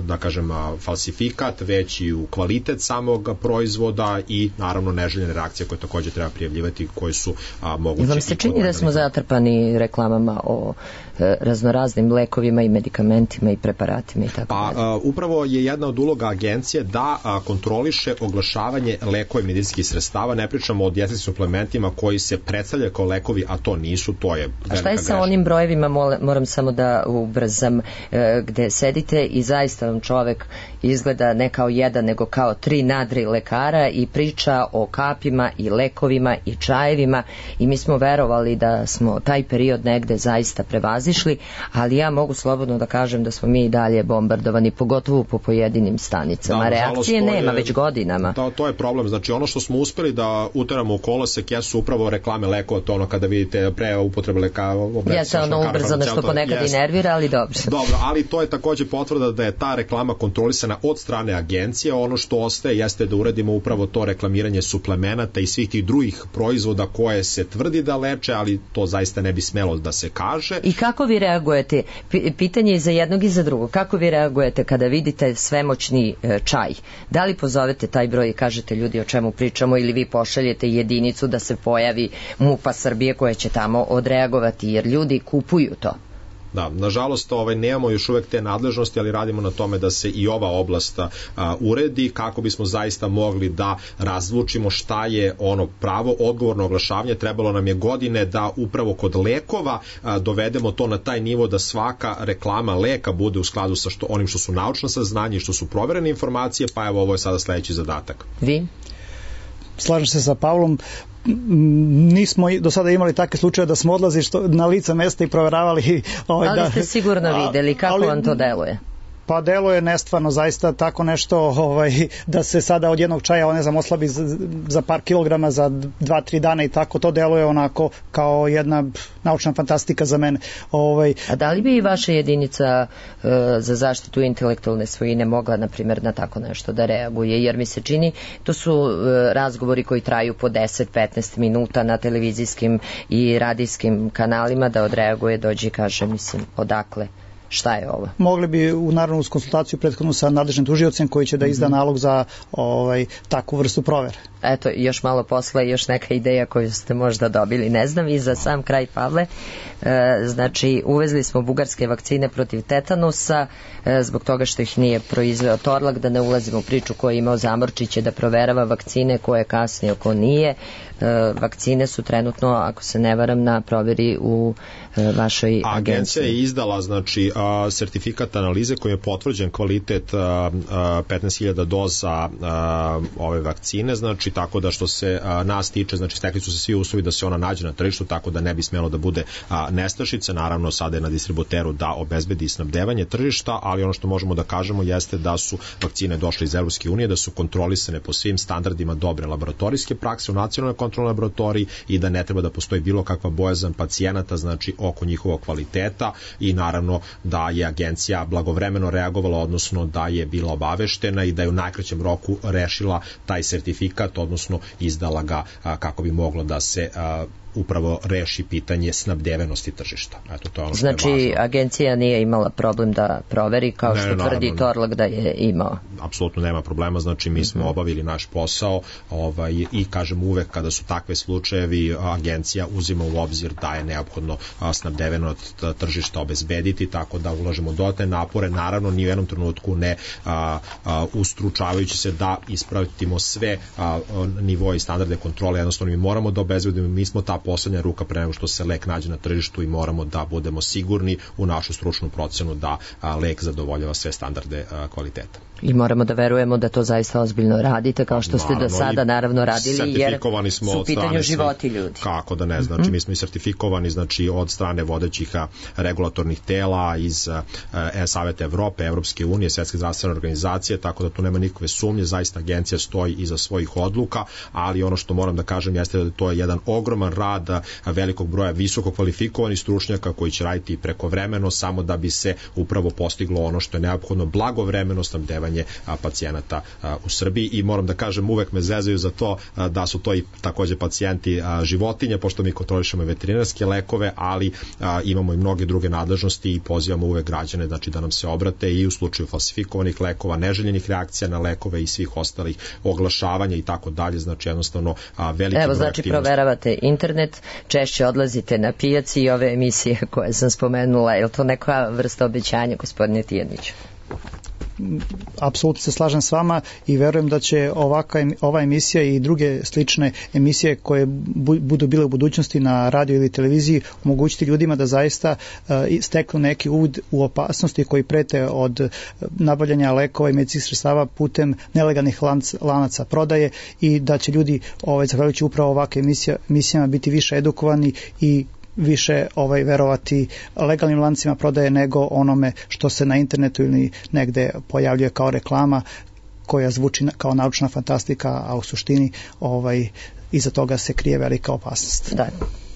da kažem uh, falsifikat, već i u kvalitet samog proizvoda i naravno neželjene reakcije koje takođe treba prijavljivati, koje su a, moguće. Vam se čini da smo zatrpani reklamama o e, raznoraznim lekovima i medikamentima i preparatima i tako pa, a, upravo je jedna od uloga agencije da a, kontroliše oglašavanje lekova i medicinskih sredstava, ne pričamo o dijetetskim suplementima koji se predstavljaju kao lekovi, a to nisu, to je velika A šta je sa greška. onim brojevima, moram samo da ubrzam, e, gde sedite i zaista vam čovek izgleda ne kao jedan, nego kao tri nadri lekara i priča o kapima i lekovima i čajevima i mi smo verovali da smo taj period negde zaista prevazišli, ali ja mogu slobodno da kažem da smo mi i dalje bombardovani, pogotovo po pojedinim stanicama. Da, reakcije je, nema već godinama. To, to je problem, znači ono što smo uspeli da uteramo u kolosek jesu upravo reklame lekova, to ono kada vidite pre upotrebe lekava. Jeste ono ubrzano što ponekad i nervira, ali dobro. Dobro, ali to je takođe potvrda da je ta reklama kontrolisana od strane agencije, ono što ostaje jeste da uradimo upravo to reklamiranje suplemenata i svih tih drugih proizvoda koje se tvrdi da leče, ali to zaista ne bi smelo da se kaže. I kako vi reagujete? P- pitanje je za jednog i za drugog. Kako vi reagujete kada vidite svemoćni e, čaj? Da li pozovete taj broj i kažete ljudi o čemu pričamo ili vi pošaljete jedinicu da se pojavi MUP-a Srbije koja će tamo odreagovati jer ljudi kupuju to? Da, nažalost ovaj, nemamo još uvek te nadležnosti, ali radimo na tome da se i ova oblast a, uredi kako bismo zaista mogli da razlučimo šta je ono pravo odgovorno oglašavanje. Trebalo nam je godine da upravo kod lekova a, dovedemo to na taj nivo da svaka reklama leka bude u skladu sa što, onim što su naučna saznanja i što su proverene informacije, pa evo ovo je sada sledeći zadatak. Vi? Slažem se sa Pavlom, nismo do sada imali takve slučaje da smo odlazili na lice mesta i proveravali ovaj, ali da, ste sigurno videli kako ali, vam to deluje. Pa deluje nestvarno, zaista tako nešto ovaj, da se sada od jednog čaja ne znam, oslabi za, za par kilograma za dva, tri dana i tako, to deluje onako kao jedna naučna fantastika za mene. Ovaj. A da li bi i vaša jedinica uh, za zaštitu intelektualne svojine mogla, na primjer, na tako nešto da reaguje? Jer mi se čini, to su uh, razgovori koji traju po deset do petnaest minuta na televizijskim i radijskim kanalima, da odreaguje, dođe i kaže, mislim, odakle? Šta je ovo? Mogli bi u naravno uz konsultaciju prethodnu sa nadležnim tužiocem koji će da izda mm-hmm. nalog za ovaj, takvu vrstu provere. Eto, još malo posla i još neka ideja koju ste možda dobili, ne znam. I za sam kraj, Pavle, e, znači uvezli smo bugarske vakcine protiv tetanusa e, zbog toga što ih nije proizveo Torlak, da ne ulazimo u priču ko je imao Zamorčiće da proverava vakcine, ko je kasnije, ko nije. E, vakcine su trenutno, ako se ne varam, na proveri u e, vašoj agenciji. Agencija je izdala znači a, sertifikat analize kojim je potvrđen kvalitet a, a, petnaest hiljada doza a, ove vakcine, znači tako da što se a, nas tiče, znači stekli su se svi uslovi da se ona nađe na tržištu, tako da ne bi smelo da bude a, nestašice. Naravno sada je na distributeru da obezbedi snabdevanje tržišta, ali ono što možemo da kažemo jeste da su vakcine došle iz Evropske unije, da su kontrolisane po svim standardima dobre laboratorijske prakse u nacionalnoj kontrolnoj laboratoriji i da ne treba da postoji bilo kakva bojazan pacijenata, znači oko njihovog kvaliteta, i naravno da je agencija blagovremeno reagovala, odnosno da je bila obaveštena i da je u najkraćem roku rešila taj sertifikat, odnosno izdala ga a, kako bi moglo da se a, upravo reši pitanje snabdevenosti tržišta. Eto, to je ono što znači, je važno. Agencija nije imala problem da proveri, kao ne, što naravno, tvrdi Torlak da je imao. Apsolutno nema problema, znači mi smo mm-hmm. obavili naš posao ovaj, i kažem uvek kada su takve slučajevi, agencija uzima u obzir da je neophodno snabdeveno tržišta obezbediti, tako da ulažemo dodatne napore, naravno ni u jednom trenutku ne a, a, ustručavajući se da ispravimo sve a, nivoje i standarde kontrole, jednostavno mi moramo da obezbedimo, mi smo ta poslednja ruka pre nego što se lek nađe na tržištu i moramo da budemo sigurni u našu stručnu procenu da a, lek zadovoljava sve standarde a, kvaliteta. I moramo da verujemo da to zaista ozbiljno radite, kao što ste naravno, do sada naravno radili, jer su u pitanju životi ljudi. Kako da ne, znači mm-hmm. mi smo i sertifikovani znači od strane vodećih a, regulatornih tela iz a, a, Saveta Evrope, Evropske unije, Svetske zdravstvene organizacije, tako da tu nema nikakve sumnje, zaista agencija stoji iza svojih odluka, ali ono što moram da kažem jeste da to je jedan ogroman rad a, velikog broja visoko kvalifikovanih stručnjaka koji će raditi prekovremeno samo da bi se upravo postiglo ono što je neophodno, blagovremeno snabdevanje pacijenata u Srbiji. I moram da kažem, uvek me zezaju za to da su to i takođe pacijenti životinje, pošto mi kontrolišemo veterinarske lekove, ali imamo i mnoge druge nadležnosti i pozivamo uvek građane znači da nam se obrate i u slučaju falsifikovanih lekova, neželjenih reakcija na lekove i svih ostalih oglašavanja i tako dalje, znači jednostavno veliki broj. Evo, znači aktivnosti. Proveravate internet, češće odlazite na pijaci i ove emisije koje sam spomenula, je li to neka vrsta obećanja, gospodine Tijaniću? Apsolutno se slažem s vama i verujem da će ovaka, ova emisija i druge slične emisije koje bu, budu bile u budućnosti na radio ili televiziji omogućiti ljudima da zaista uh, steknu neki uvod u opasnosti koji prete od nabavljanja lekova i medicinskih sredstava putem nelegalnih lanc, lanaca prodaje i da će ljudi ovaj, zahvaljujući upravo ovakve emisija, emisijama biti više edukovani i više ovaj verovati legalnim lancima prodaje nego onome što se na internetu ili negde pojavljuje kao reklama koja zvuči kao naučna fantastika, a u suštini ovaj iza toga se krije velika opasnost. Da.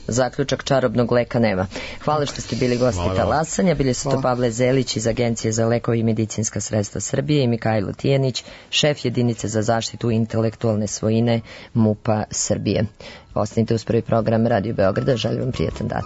Zaključak čarobnog leka nema. Hvala što ste bili gosti talasanja. Bili su to Pavle Zelić iz Agencije za lekove i medicinska sredstva Srbije i Mikajlo Tijanić, šef jedinice za zaštitu intelektualne svojine MUP-a Srbije. Ostanite uz prvi program Radio Beograda. Želim vam prijatan dan.